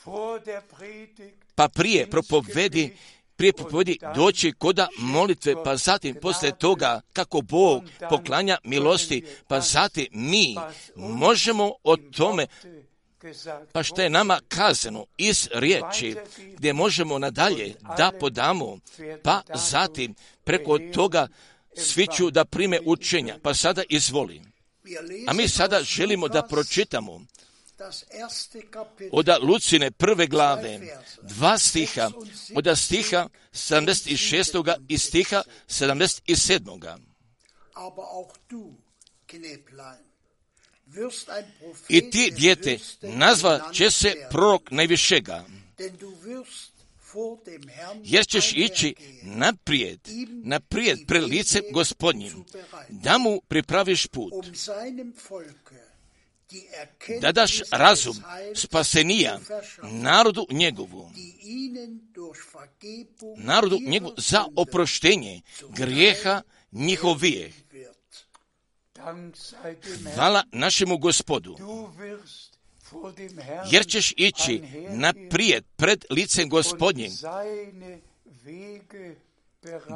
Pa prije propovedi, prije propovedi doći koda molitve, pa zatim posle toga kako Bog poklanja milosti, pa zatim mi možemo o tome, pa što je nama kazano iz riječi, gdje možemo nadalje da podamo, pa zatim preko toga svi ću da prime učenja. Pa sada izvoli. A mi sada želimo da pročitamo od Lucine prve glave, dva stiha, od stiha sedamdeset šest. i stiha sedamdeset sedam. I ti, dijete, nazva će se prorok najvišega, jer ćeš ići naprijed, naprijed pred licem Gospodnjim, da mu pripraviš put, da daš razum spasenija narodu njegovu, narodu njegovu za oproštenje grijeha njihovijeh. Hvala našemu Gospodu, jer ćeš ići naprijed pred licem Gospodnjim,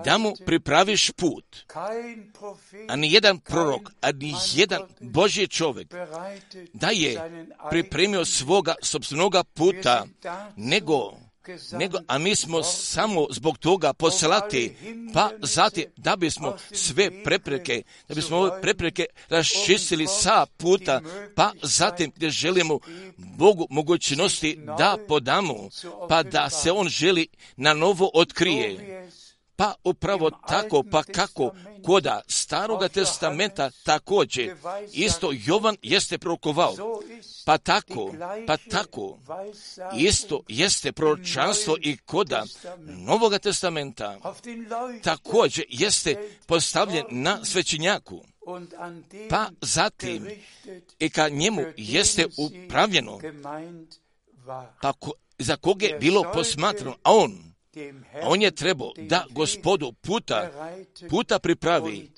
da mu pripraviš put. A ni jedan prorok, a ni jedan Božji čovjek da je pripremio svoga sopstvenoga puta, nego nego, a mi smo samo zbog toga poslati, pa zatim da bismo sve prepreke, da bismo ove prepreke raščistili sa puta, pa zatim gdje želimo Bogu mogućnosti da podamo, pa da se On želi na novo otkrije. Pa upravo tako, pa kako koda Staroga testamenta također, isto Jovan jeste prorokovao, pa tako, pa tako, isto jeste proročanstvo i koda Novoga testamenta, također jeste postavljen na svećenjaku, pa zatim i ka njemu jeste upravljeno, pa ko, za koga je bilo posmatrano, a on, A on je trebao da Gospodu puta, puta pripravi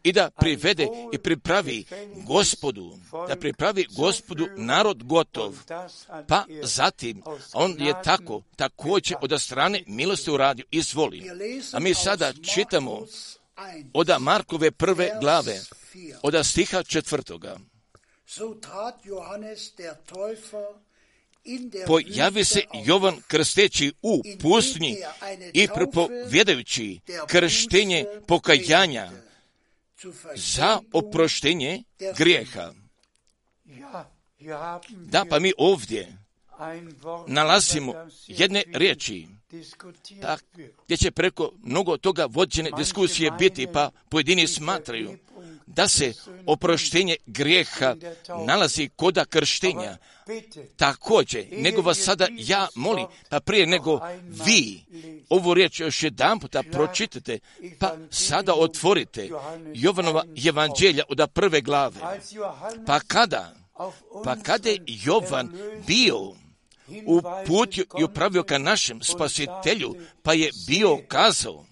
i da privede i pripravi Gospodu, da pripravi Gospodu narod gotov. Pa zatim on je tako, također od strane milosti uradio, izvoli. A mi sada čitamo od Markove prve glave, od stiha četvrtoga. Pojavi se Jovan krsteći u pustinji i propovjedajući krštenje pokajanja za oproštenje grijeha. Da, pa mi ovdje nalazimo jedne riječi, tak, gdje će preko mnogo toga vođene diskusije biti, pa pojedini smatraju da se oproštenje grijeha nalazi koda krštenja. Također, nego vas sada ja molim, pa prije nego vi ovu riječ još jedan puta pročitate, pa sada otvorite Jovanova evanđelja od prve glave. Pa kada, pa kada je Jovan bio u putu i upravio ka našem spasitelju, pa je bio kazao: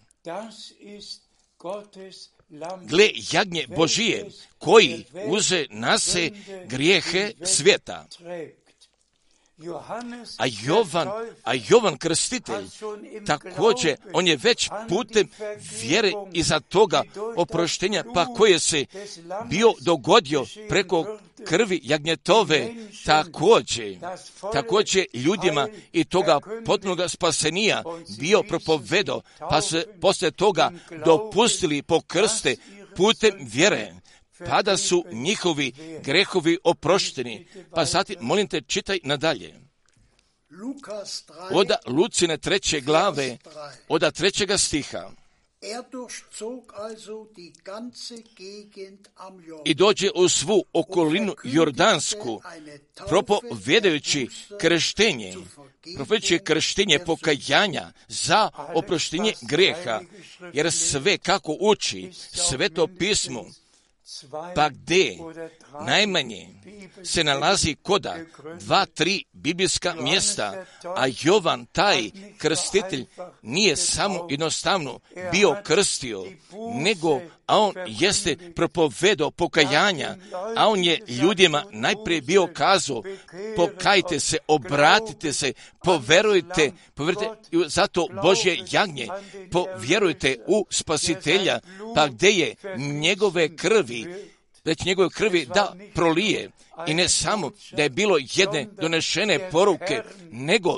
gle, jagnje Božije, koji uze na se grijehe svijeta. A Jovan, a Jovan krstitelj, također, on je već putem vjere iza toga oproštenja, pa koje se bio dogodio preko krvi jagnjetove, također, također ljudima i toga potpunoga spasenija bio propovedao, pa se poslije toga dopustili po krste putem vjere, pa da su njihovi grehovi oprošteni. Pa zatim, molim te, čitaj nadalje. Od Lucine treće glave, od trećega stiha. I dođe u svu okolinu Jordansku, propovjedajući krštenje, propovjedajući krštenje pokajanja za oproštenje grijeha, jer sve kako uči Sveto pismo, pa gdje najmanje se nalazi koda dva, tri biblijska mjesta, a Jovan, taj krstitelj, nije samo jednostavno bio krstio, nego, a on jeste propovedao pokajanja, a on je ljudima najprije bio kazao: pokajte se, obratite se, poverujte, poverujte zato Božje jagnje, povjerujte u spasitelja, pa gdje je njegove krvi, već njegove krvi da prolije. I ne samo da je bilo jedne donešene poruke, nego,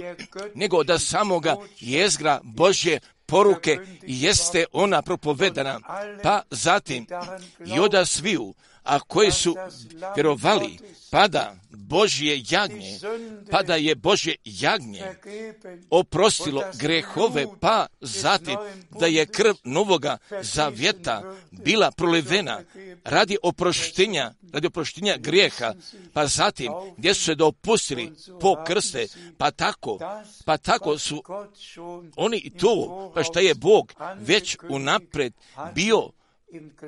nego da samoga jezgra Božje poruke jeste ona propovedana. Pa zatim i oda sviju, a koji su vjerovali, pada Božje jagnje, pa da je Božje jagnje oprostilo grehove, pa zatim da je krv Novoga zavjeta bila prolivena radi oproštenja, radi oproštenja grijeha, pa zatim gdje su se dopustili po krste, pa tako, pa tako su oni i to, pa šta je Bog već unaprijed bio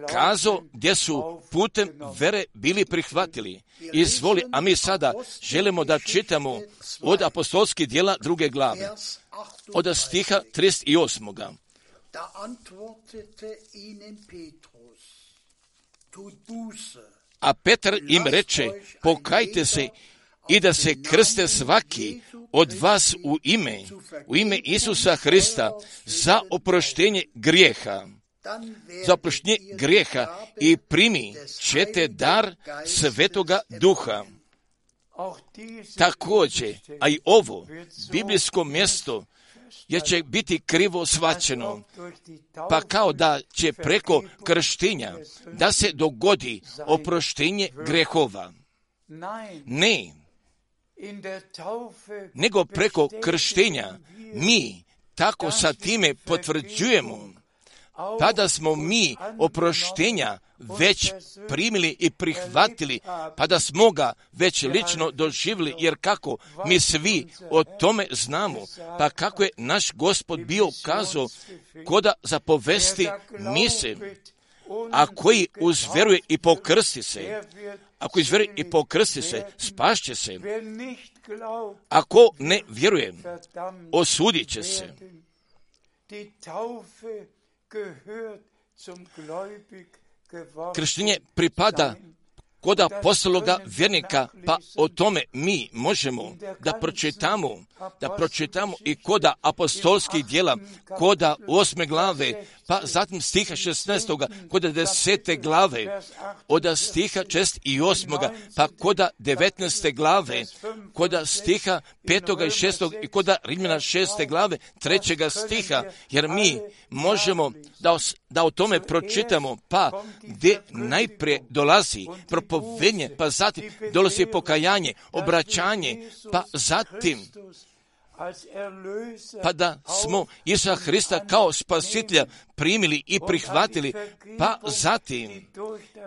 kazao, gdje su putem vere bili prihvatili. Izvoli, a mi sada želimo da čitamo od apostolskih djela druge glave, od stiha trideset osam. A Petar im reče: pokajte se i da se krste svaki od vas u ime, u ime Isusa Hrista za oproštenje grijeha, za oproštenje grijeha i primi ćete dar Svetoga Duha. Također, a i ovo biblijsko mjesto jer će biti krivo shvaćeno, pa kao da će preko krštenja da se dogodi oproštenje grehova. Ne, nego preko krštenja mi tako sa time potvrđujemo, pa da smo mi oproštenja već primili i prihvatili, pa da smo ga već lično doživjeli, jer kako mi svi o tome znamo, pa kako je naš Gospod bio kazao koda zapovesti mise, a koji uzveruje i pokrsti se, ako izveruje i pokrsti se, spašće se, ako ne vjeruje, osudit će se. Krštenje pripada kod apostologa vjernika, pa o tome mi možemo da pročitamo, da pročitamo i koda apostolskih djela, koda osme glave, pa zatim stiha šesnaestoga, koda desete glave, od stiha šest i osmoga, pa koda devetnaeste glave, koda stiha petoga i šestoga i koda Rimljana šeste glave, trećega stiha, jer mi možemo da, os, da o tome pročitamo, pa gdje najprije dolazi propovednje, pa zatim dolazi pokajanje, obraćanje, pa zatim pa da smo Isusa Hrista kao spasitelja primili i prihvatili, pa zatim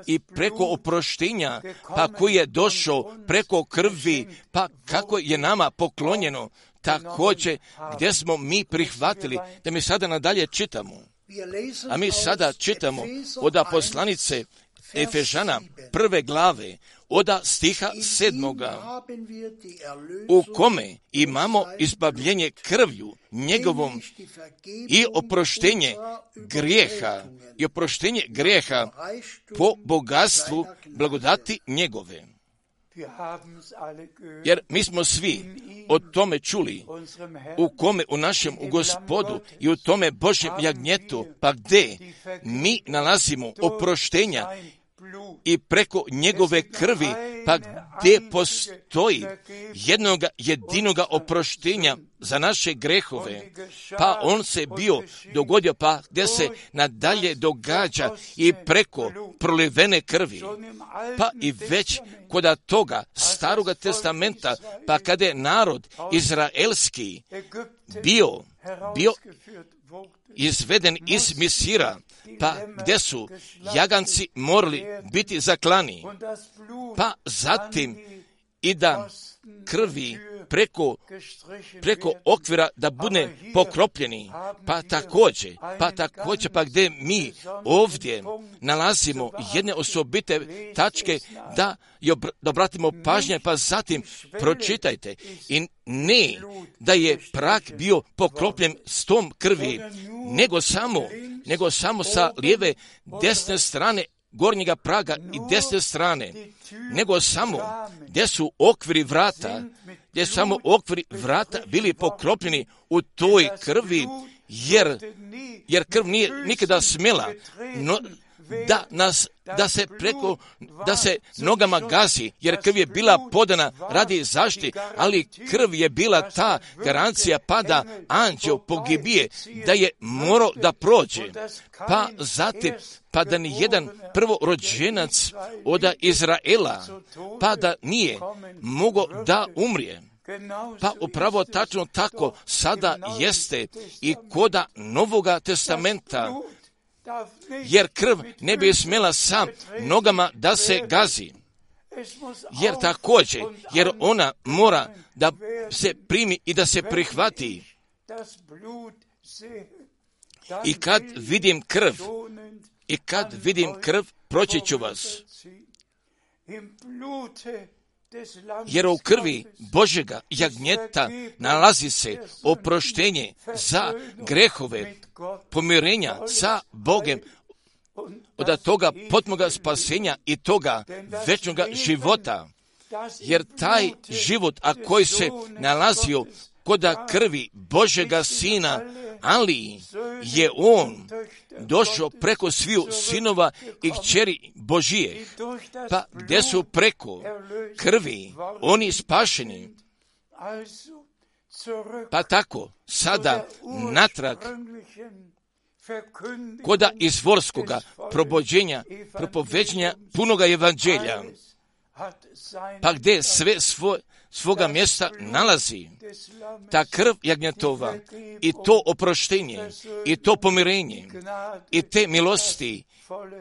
i preko oproštenja, pa koji je došao preko krvi, pa kako je nama poklonjeno, također gdje smo mi prihvatili, da mi sada nadalje čitamo. A mi sada čitamo od poslanice Efežana prve glave, od stiha sedmoga, u kome imamo izbavljenje krvlju njegovom i oproštenje grijeha, i oproštenje grijeha po bogatstvu blagodati njegove. Jer mi smo svi o tome čuli, u kome u našem u Gospodu i u tome Božjem jagnjetu, pa gdje mi nalazimo oproštenja i preko njegove krvi, pa gdje postoji jednog jedinoga oproštenja za naše grehove, pa on se bio dogodio, pa gdje se nadalje događa i preko prolivene krvi, pa i već kod toga staroga testamenta, pa kada je narod izraelski bio, bio izveden iz Misira, pa gdje su jaganci morali biti zaklani, pa zatim i da krvi preko, preko okvira da bude pokropljeni, pa također, pa također, pa gdje mi ovdje nalazimo jedne osobite tačke da, da obratimo pažnje, pa zatim pročitajte i ne da je prak bio pokropljen s tom krvi, nego samo, nego samo sa lijeve desne strane gornjega praga i desne strane, nego samo gdje su okviri vrata, gdje su samo okviri vrata bili pokropljeni u toj krvi, jer, jer krv nije nikada smjela no, da nas da se preko, da se nogama gazi, jer krv je bila podana radi zaštite, ali krv je bila ta garancija pa da anđeo pogibije, da je morao da prođe, pa zatim, pa da ni jedan prvorođenac od Izraela, pa da nije mogao da umrije. Pa upravo tačno tako sada jeste i koda Novoga testamenta, jer krv ne bi smjela sam nogama da se gazi. Jer također, jer ona mora da se primi i da se prihvati. I kad vidim krv, i kad vidim krv, proći ću vas. Jer u krvi Božjega jagnjeta nalazi se oproštenje za grehove, pomirenja sa Bogem, od toga potmoga spasenja i toga večnoga života. jer taj život, a koji se nalazio koda krvi Božega Sina, ali je on došao preko sviju sinova i kćeri Božijeh, pa gdje su preko krvi oni spašeni, pa tako sada natrag koda izvorskoga probođenja, propoveđenja punoga evanđelja, pa gdje sve svoj, svoga mjesta nalazi ta krv jagnjetova i to oproštenje i to pomirenje i te milosti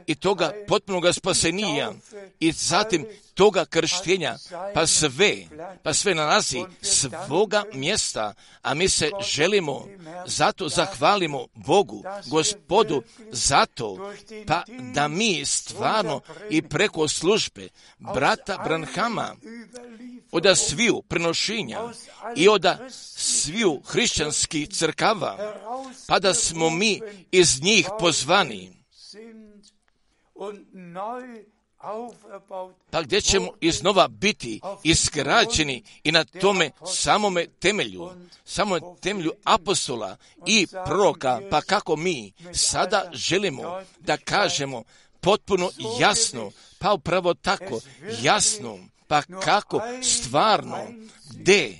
i toga potpunoga spasenija i zatim toga krštenja, pa sve, pa sve nalazi svoga mjesta, a mi se želimo, zato zahvalimo Bogu, Gospodu, zato, pa da mi stvarno i preko službe brata Branhama, od sviju prenošenja i od sviju hrišćanskih crkava, pa da smo mi iz njih pozvani, pa gdje ćemo iznova biti isgrađeni i na tome samome temelju, samome temelju apostola i proroka, pa kako mi sada želimo da kažemo potpuno jasno, pa upravo tako jasno, pa kako stvarno, gdje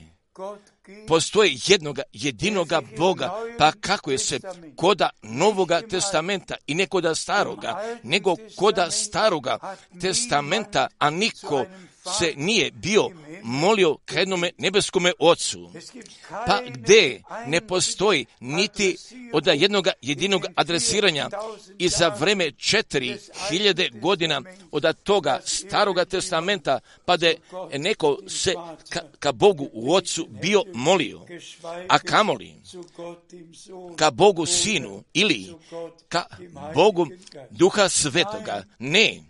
postoji jednoga, jedinoga Boga, pa kako je se koda Novoga testamenta i ne koda Staroga, nego koda Staroga testamenta, a niko se nije bio molio ka jednome nebeskome Ocu, pa gdje ne postoji niti od jednoga jedinog adresiranja i za vreme četiri hiljade godina od toga Staroga testamenta, pa da je neko se ka, ka Bogu u Ocu bio molio, a kamoli ka Bogu Sinu ili ka Bogu Duha Svetoga, ne,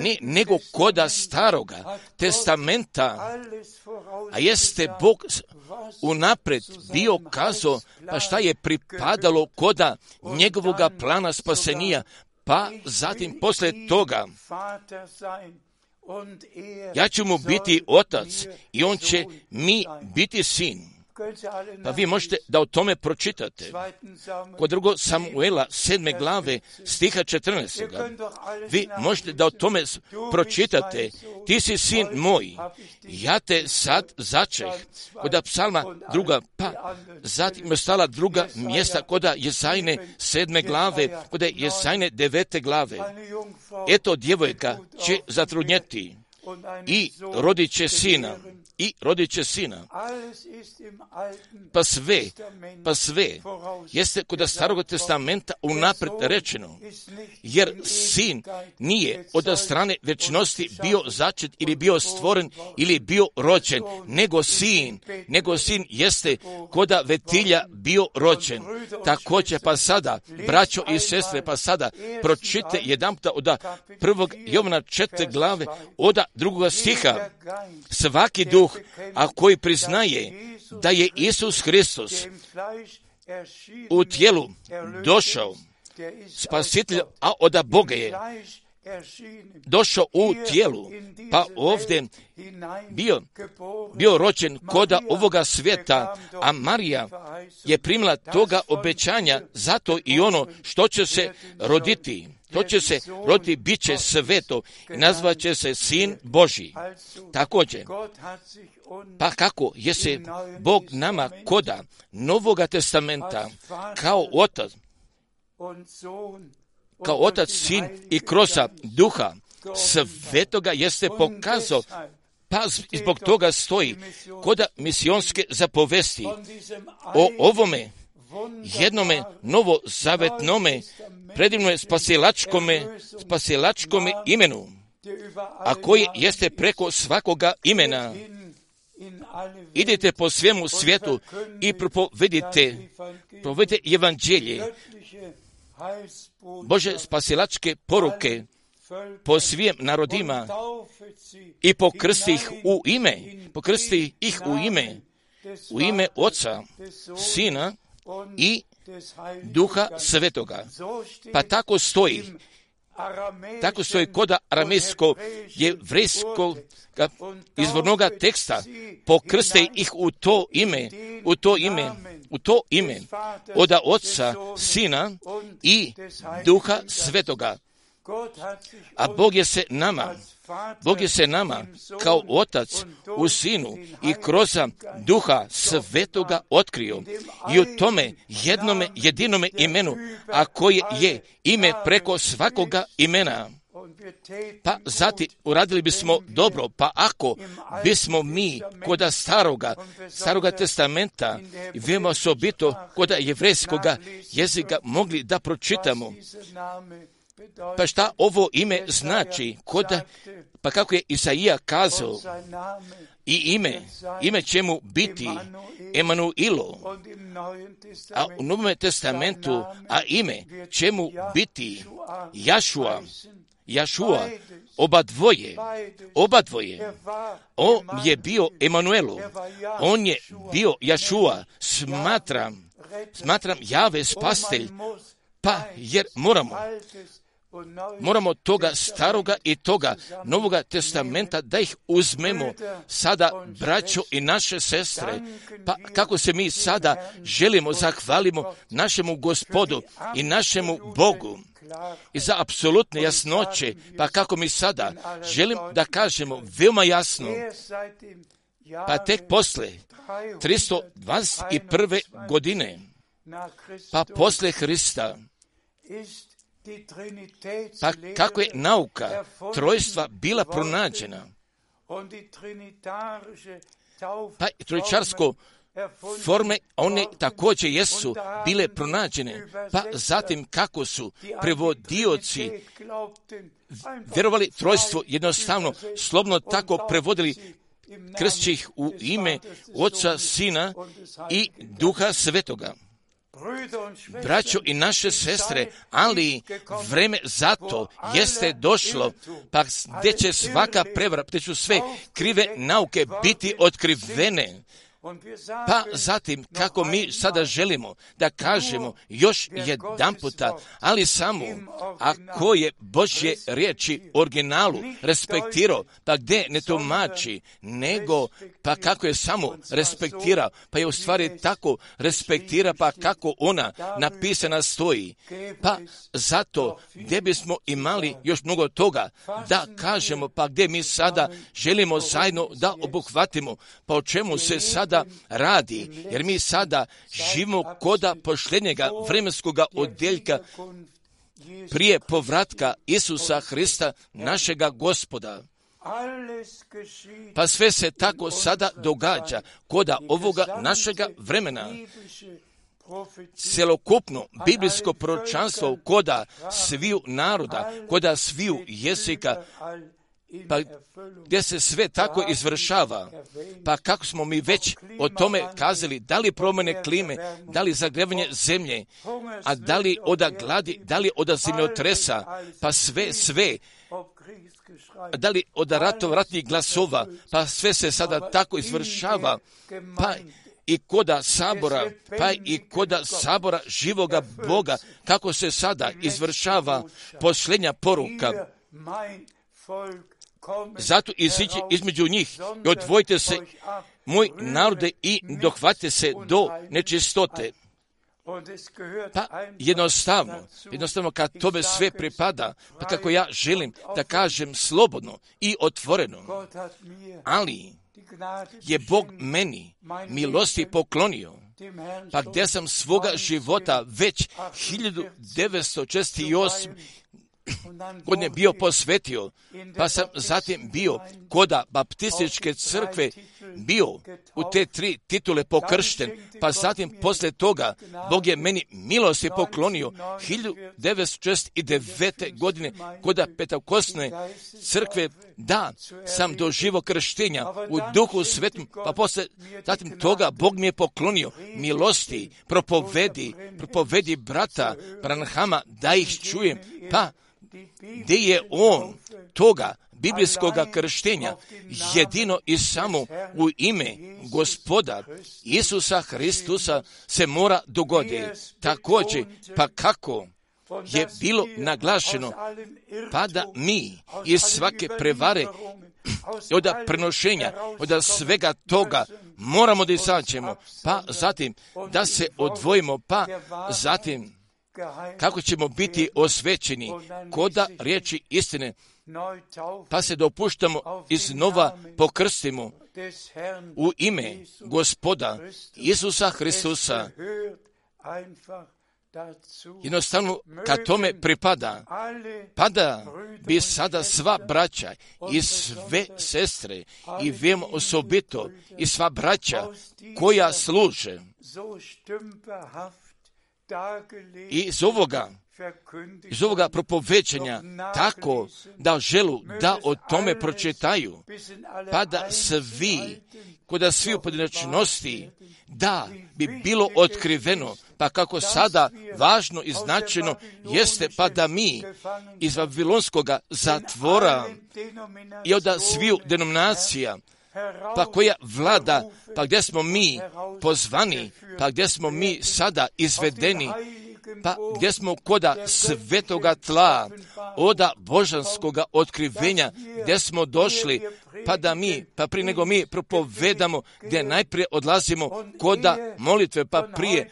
ne, nego koda Staroga testamenta, a jeste Bog unapred bio kazao, pa šta je pripadalo koda njegovoga plana spasenija, pa zatim posle toga ja ću mu biti otac i on će mi biti sin. Pa vi možete da o tome pročitate. Kod drugo Samuela sedme glave stiha četrnaestog. Vi možete da o tome pročitate. Ti si sin moj, ja te sad začeh. Kod psalma druga, pa zatim je stala druga mjesta kod Jesajne sedme glave, kod Jesajne devete glave. Eto djevojka će zatrudnjeti i rodit će sina. I rodit će sina. Pa sve, pa sve jeste kod Starog testamenta unapred rečeno, jer sin nije od strane vječnosti bio začet ili bio stvoren ili bio rođen, nego sin, nego sin jeste koda vetilja bio rođen. Također pa sada, braćo i sestre, pa sada pročite jedanputa od prvog Jovana četvrte glave od drugoga stiha. Svaki duh, a koji priznaje da je Isus Hristos u tijelu došao, spasitelj, a od Boga je došao u tijelu, pa ovdje bio, bio rođen koda ovoga svijeta, a Marija je primila toga obećanja, zato i ono što će se roditi, to će se roditi, bit će sveto i nazvat će se Sin Božji. Također, pa kako je se Bog nama koda Novoga testamenta kao otac, kao otac, sin i kroz duha svetoga jeste pokazao, pa zbog toga stoji koda misionske zapovesti o ovome jednome novozavetnome predivnome spasilačkome, spasilačkome imenu, a koji jeste preko svakoga imena. Idite po svemu svijetu i propovedite, propovedite evanđelje, Bože spasilačke poruke po svim narodima i pokrsti ih u ime, pokrsti ih u ime, u ime Oca, Sina i Duha Svetoga. Pa tako stoji tako stoji kod aramejskog jevrejskog izvornog teksta, pokrste ih u to ime, u to ime, u to ime, od Oca, Sina i Duha Svetoga. A Bog je se nama, Bog je se nama kao Otac u Sinu i kroz Duha Svetoga otkrio i u tome jednome jedinome imenu, a koje je ime preko svakoga imena. Pa zatim uradili bismo dobro, pa ako bismo mi koda staroga, staroga testamenta, veoma osobito koda jevrejskoga jezika mogli da pročitamo, pa šta ovo ime znači? Koda, pa kako je Isaija kazao, i ime, ime će mu biti Emanuilo, a u Novom testamentu, a ime će mu biti Jašua, Jašua, oba dvoje, oba dvoje. On je bio Emanuelu, on je bio Jašua, smatram, smatram Jave spastelj, pa jer moramo, moramo toga staroga i toga Novoga testamenta da ih uzmemo sada, braćo i naše sestre, pa kako se mi sada želimo zahvalimo našemu Gospodu i našemu Bogu. I za apsolutne jasnoće, pa kako mi sada želim da kažemo veoma jasno, pa tek posle tristo dvadeset prve godine, pa posle Hrista, pa kako je nauka trojstva bila pronađena, pa trojčarsko forme, one također jesu bile pronađene, pa zatim kako su prevodioci vjerovali trojstvo, jednostavno, slobodno tako prevodili, krsteći ih u ime Oca, Sina i Duha Svetoga. Braćo i naše sestre, ali vreme zato jeste došlo, pa gdje će svaka prevara, gdje će sve krive nauke biti otkrivene. Pa zatim, kako mi sada želimo da kažemo još jedan puta, ali samo ako je Božje riječi originalu respektirao, pa gdje ne tumači, nego pa kako je samo respektirao, pa je u stvari tako respektira, pa kako ona napisana stoji. Pa zato gdje bismo imali još mnogo toga da kažemo, pa gdje mi sada želimo zajedno da obuhvatimo, pa o čemu se sada radi, jer mi sada živimo koda posljednjega vremenskoga odjeljka prije povratka Isusa Hrista, našega Gospoda. Pa sve se tako sada događa koda ovoga našega vremena. Celokupno biblijsko proročanstvo koda sviju naroda, koda sviju jezika, pa gdje se sve tako izvršava, pa kako smo mi već o tome kazali, da li promjene klime, da li zagrevanje zemlje, a da li oda gladi, da li oda zemljotresa, pa sve, sve, da li oda ratov, ratnih glasova, pa sve se sada tako izvršava, pa i koda sabora, pa i koda sabora živoga Boga, kako se sada izvršava posljednja poruka. Zato iziđi između njih i odvojite se, moj narode, i dohvatite se do nečistote. Pa jednostavno, jednostavno kad tome sve pripada, pa kako ja želim da kažem slobodno i otvoreno, ali je Bog meni milosti poklonio, pa gdje sam svoga života već hiljadu devetsto šezdeset osme godine bio posvetio, pa sam zatim bio koda baptističke crkve, bio u te tri titule pokršten, pa zatim posle toga Bog je meni milosti poklonio hiljadu devetsto šezdeset devete. godine koda Pentekostne crkve, da sam doživio krštenja u Duhu Svetom, pa posle zatim toga Bog mi je poklonio milosti, propovedi, propovedi brata Branhama, da ih čujem, pa gdje je on toga biblijskoga krštenja jedino i samo u ime Gospoda Isusa Hristusa se mora dogoditi. Također, pa kako je bilo naglašeno, pa da mi iz svake prevare, od prenošenja, od svega toga moramo da izađemo, pa zatim da se odvojimo, pa zatim kako ćemo biti osvećeni koda riječi istine, pa se dopuštamo iznova pokrstimo u ime Gospoda Isusa Hristusa. Jednostavno, kad tome pripada, pa da bi sada sva braća i sve sestre i vemo osobito i sva braća koja služe i iz ovoga iz ovoga propovećanja tako da želu da o tome pročitaju, pa da svi, koda svi u pojedinačnosti, da bi bilo otkriveno, pa kako sada važno i značajno jeste, pa da mi iz Vavilonskoga zatvora i od sviju denominacija, pa koja vlada, pa gdje smo mi pozvani, pa gdje smo mi sada izvedeni, pa gdje smo koda svetoga tla, oda božanskoga otkrivenja, gdje smo došli, pa da mi, pa prije nego mi propovedamo, gdje najprije odlazimo koda molitve, pa prije,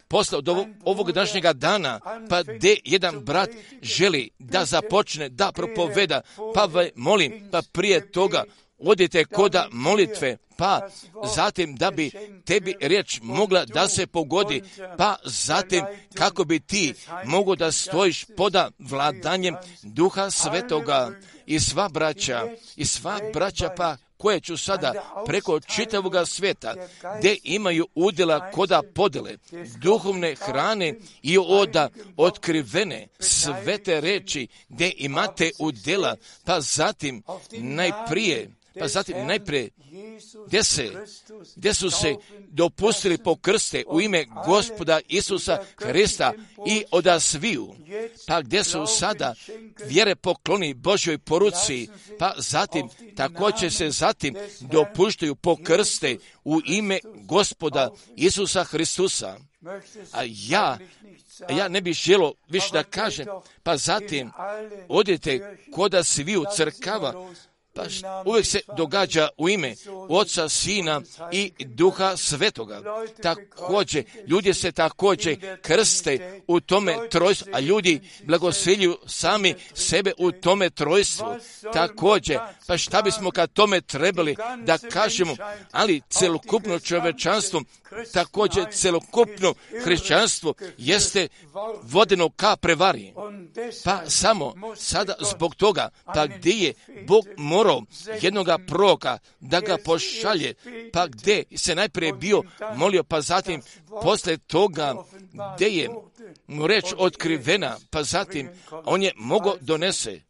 posle od ovog, ovog današnjega dana, pa gdje jedan brat želi da započne, da propoveda, pa molim, pa prije toga, odite koda molitve, pa zatim da bi tebi riječ mogla da se pogodi, pa zatim kako bi ti mogo da stojiš poda vladanjem Duha Svetoga i sva braća, i sva braća pa koje ću sada preko čitavoga svijeta, gdje imaju udjela koda podele, duhovne hrane i oda otkrivene svete reči, gdje imate udjela, pa zatim najprije, pa zatim najprije gdje, se, gdje su se dopustili pokrste u ime Gospoda Isusa Hrista i oda sviju, pa gdje su sada vjere pokloni Božjoj poruci, pa zatim također se zatim dopuštaju pokrste u ime Gospoda Isusa Hristusa. A ja, a ja ne bih želo više da kažem, pa zatim odite koda sviju crkava, pa uvijek se događa u ime Oca, Sina i Duha Svetoga. Također, ljudi se također krste u tome trojstvu, a ljudi blagosiljuju sami sebe u tome trojstvu. Također, pa šta bismo kad tome trebali da kažemo, ali celokupno čovječanstvo, također celokupno hrišćanstvo jeste vodeno ka prevari. Pa samo sada zbog toga, pa gdje je Bog morao jednoga proroka da ga pošalje, pa gdje se najprije bio molio, pa zatim posle toga gdje je mu reč otkrivena, pa zatim on je mogao donese.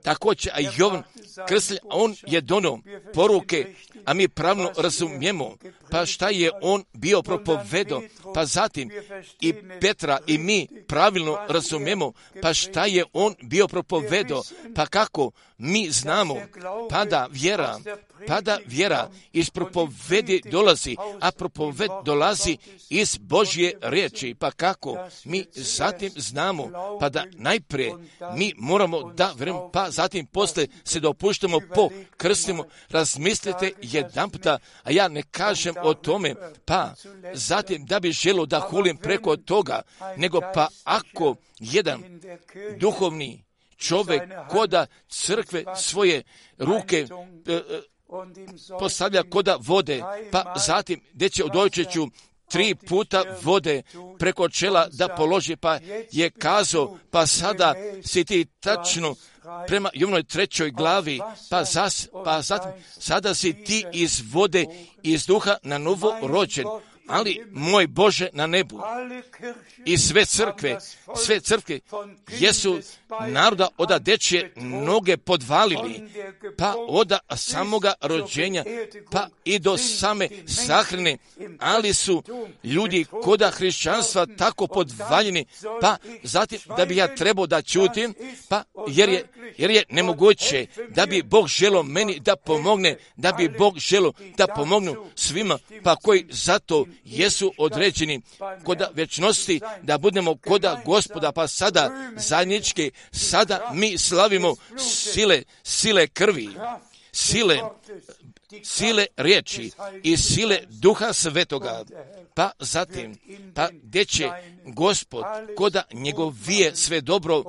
Također, a Jovan Krstitelj, on je donio poruke, a mi pravno razumijemo, pa šta je on bio propovedao, pa zatim i Petra i mi pravilno razumijemo, pa šta je on bio propovedao, pa kako mi znamo, pa da vjera, pa da vjera iz propovedi dolazi, a propoved dolazi iz Božje riječi, pa kako mi zatim znamo, pa da najprije mi moramo da vjerujemo, pa zatim posle se dopuštamo po krstimo, razmislite jedan puta, a ja ne kažem o tome, pa zatim da bi želo da hulim preko toga, nego pa ako jedan duhovni čovjek koda crkve svoje ruke e, postavlja koda vode, pa zatim gdje će odojčeću tri puta vode preko čela da položi, pa je kazao, pa sada si ti tačno prema Jovnoj trećoj glavi, pa, zas, pa zatim sada si ti iz vode, iz duha na novo rođen, ali moj Bože na nebu. I sve crkve, sve crkve jesu naroda oda dečje noge podvalili, pa oda samoga rođenja, pa i do same sahrane, ali su ljudi koda hrišćanstva tako podvaljeni, pa zatim da bi ja trebao da ćutim, pa jer je, jer je nemoguće da bi Bog želo meni da pomogne, da bi Bog želo da pomognu svima, pa koji zato jesu određeni koda večnosti da budemo koda Gospoda, pa sada zajednički, sada mi slavimo sile, sile krvi, sile, sile riječi i sile Duha Svetoga, pa zatim, pa gdje će Gospod koda njegovije sve dobro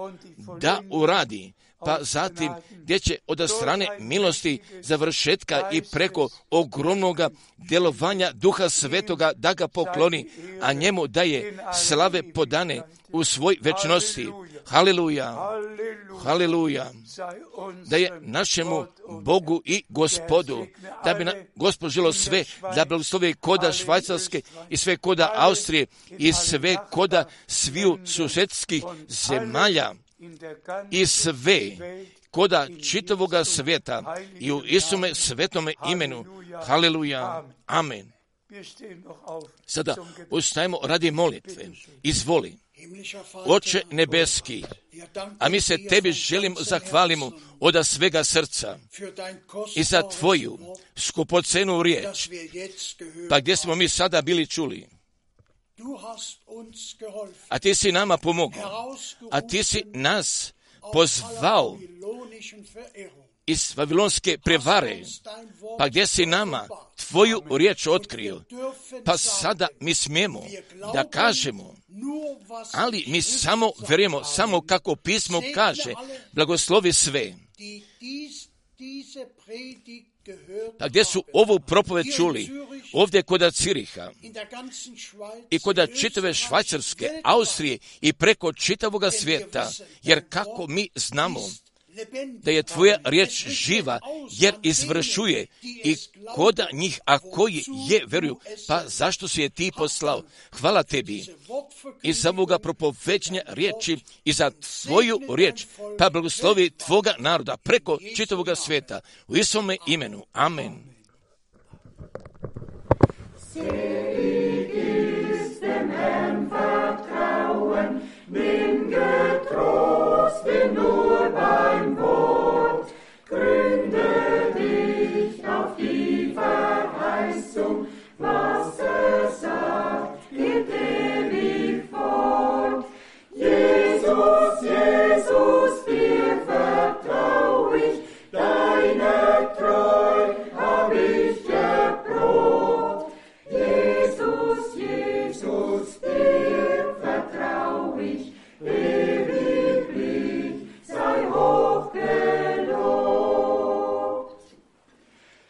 da uradi, pa zatim gdje će od strane milosti završetka i preko ogromnog djelovanja Duha Svetoga da ga pokloni, a njemu daje slave podane u svoj večnosti. Haleluja, haleluja, da je našemu Bogu i Gospodu, da bi na Gospod želo sve, da blagoslovi koda Švajcarske i sve koda Austrije i sve koda sviju susedskih zemalja i sve koda čitavoga svijeta i u Isume svetome imenu. Haleluja, amen. Sada ustajemo radi molitve. Izvoli. Oče nebeski, a mi se tebi želimo zahvalimo od svega srca i za tvoju skupocenu riječ, pa gdje smo mi sada bili čuli. A ti si nama pomogao, a ti si nas pozvao iz vavilonske prevare, pa gdje si nama tvoju riječ otkrio, pa sada mi smijemo da kažemo, ali mi samo vjerujemo, samo kako pismo kaže, blagoslovi sve. Pa gdje su ovu propoved čuli, ovdje koda Ciriha i koda čitave Švajcarske, Austrije i preko čitavoga svijeta, jer kako mi znamo da je tvoja riječ živa, jer izvršuje i koda njih, a koji je vjeruju, pa zašto si je ti poslao? Hvala tebi i za ovoga propoveđenja riječi i za tvoju riječ, pa blagoslovi tvoga naroda preko čitavoga svijeta. U Isome imenu. Amen. Nimm getrost ihn nur beim Wort, gründe dich auf die Verheißung, was er sagt, geht ewig fort. Jesus, Jesus, dir vertrau ich, deine Treu hab ich erprobt. Jesus, Jesus, dir vertrau ich, ewiglich sei hoch gelobt.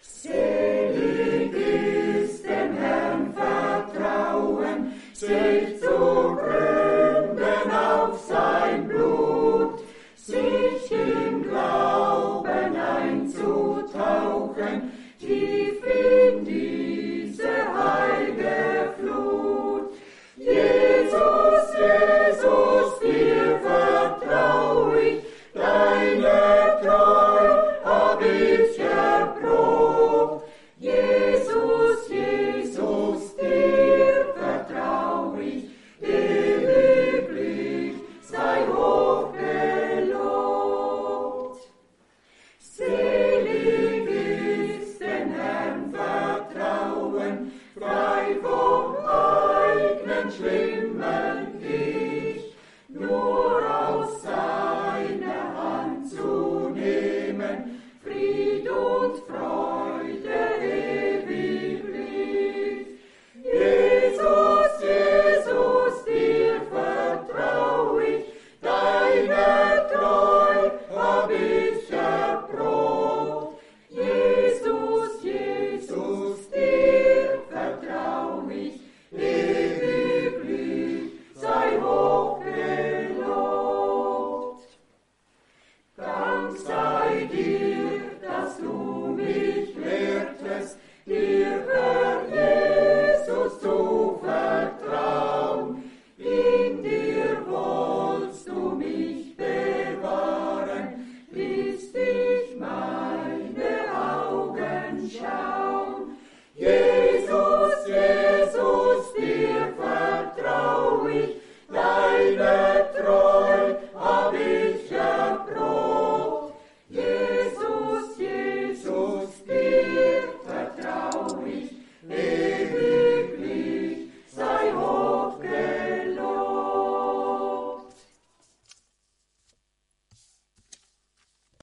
Selig ist dem Herrn vertrauen, sich zu gründen auf sein Blut, sich im Glauben einzutauchen, tief in diese heilge Flut. Jesus, Jesus, dir vertrau ich, deine Treu hab ich erprobt. Jesus, Jesus, dir vertrau ich, ewiglich sei hoch gelobt. Selig ist den Herrn vertrauen, frei vom eigenen schlimmen Ich, nur aus seiner Hand zu nehmen, Fried und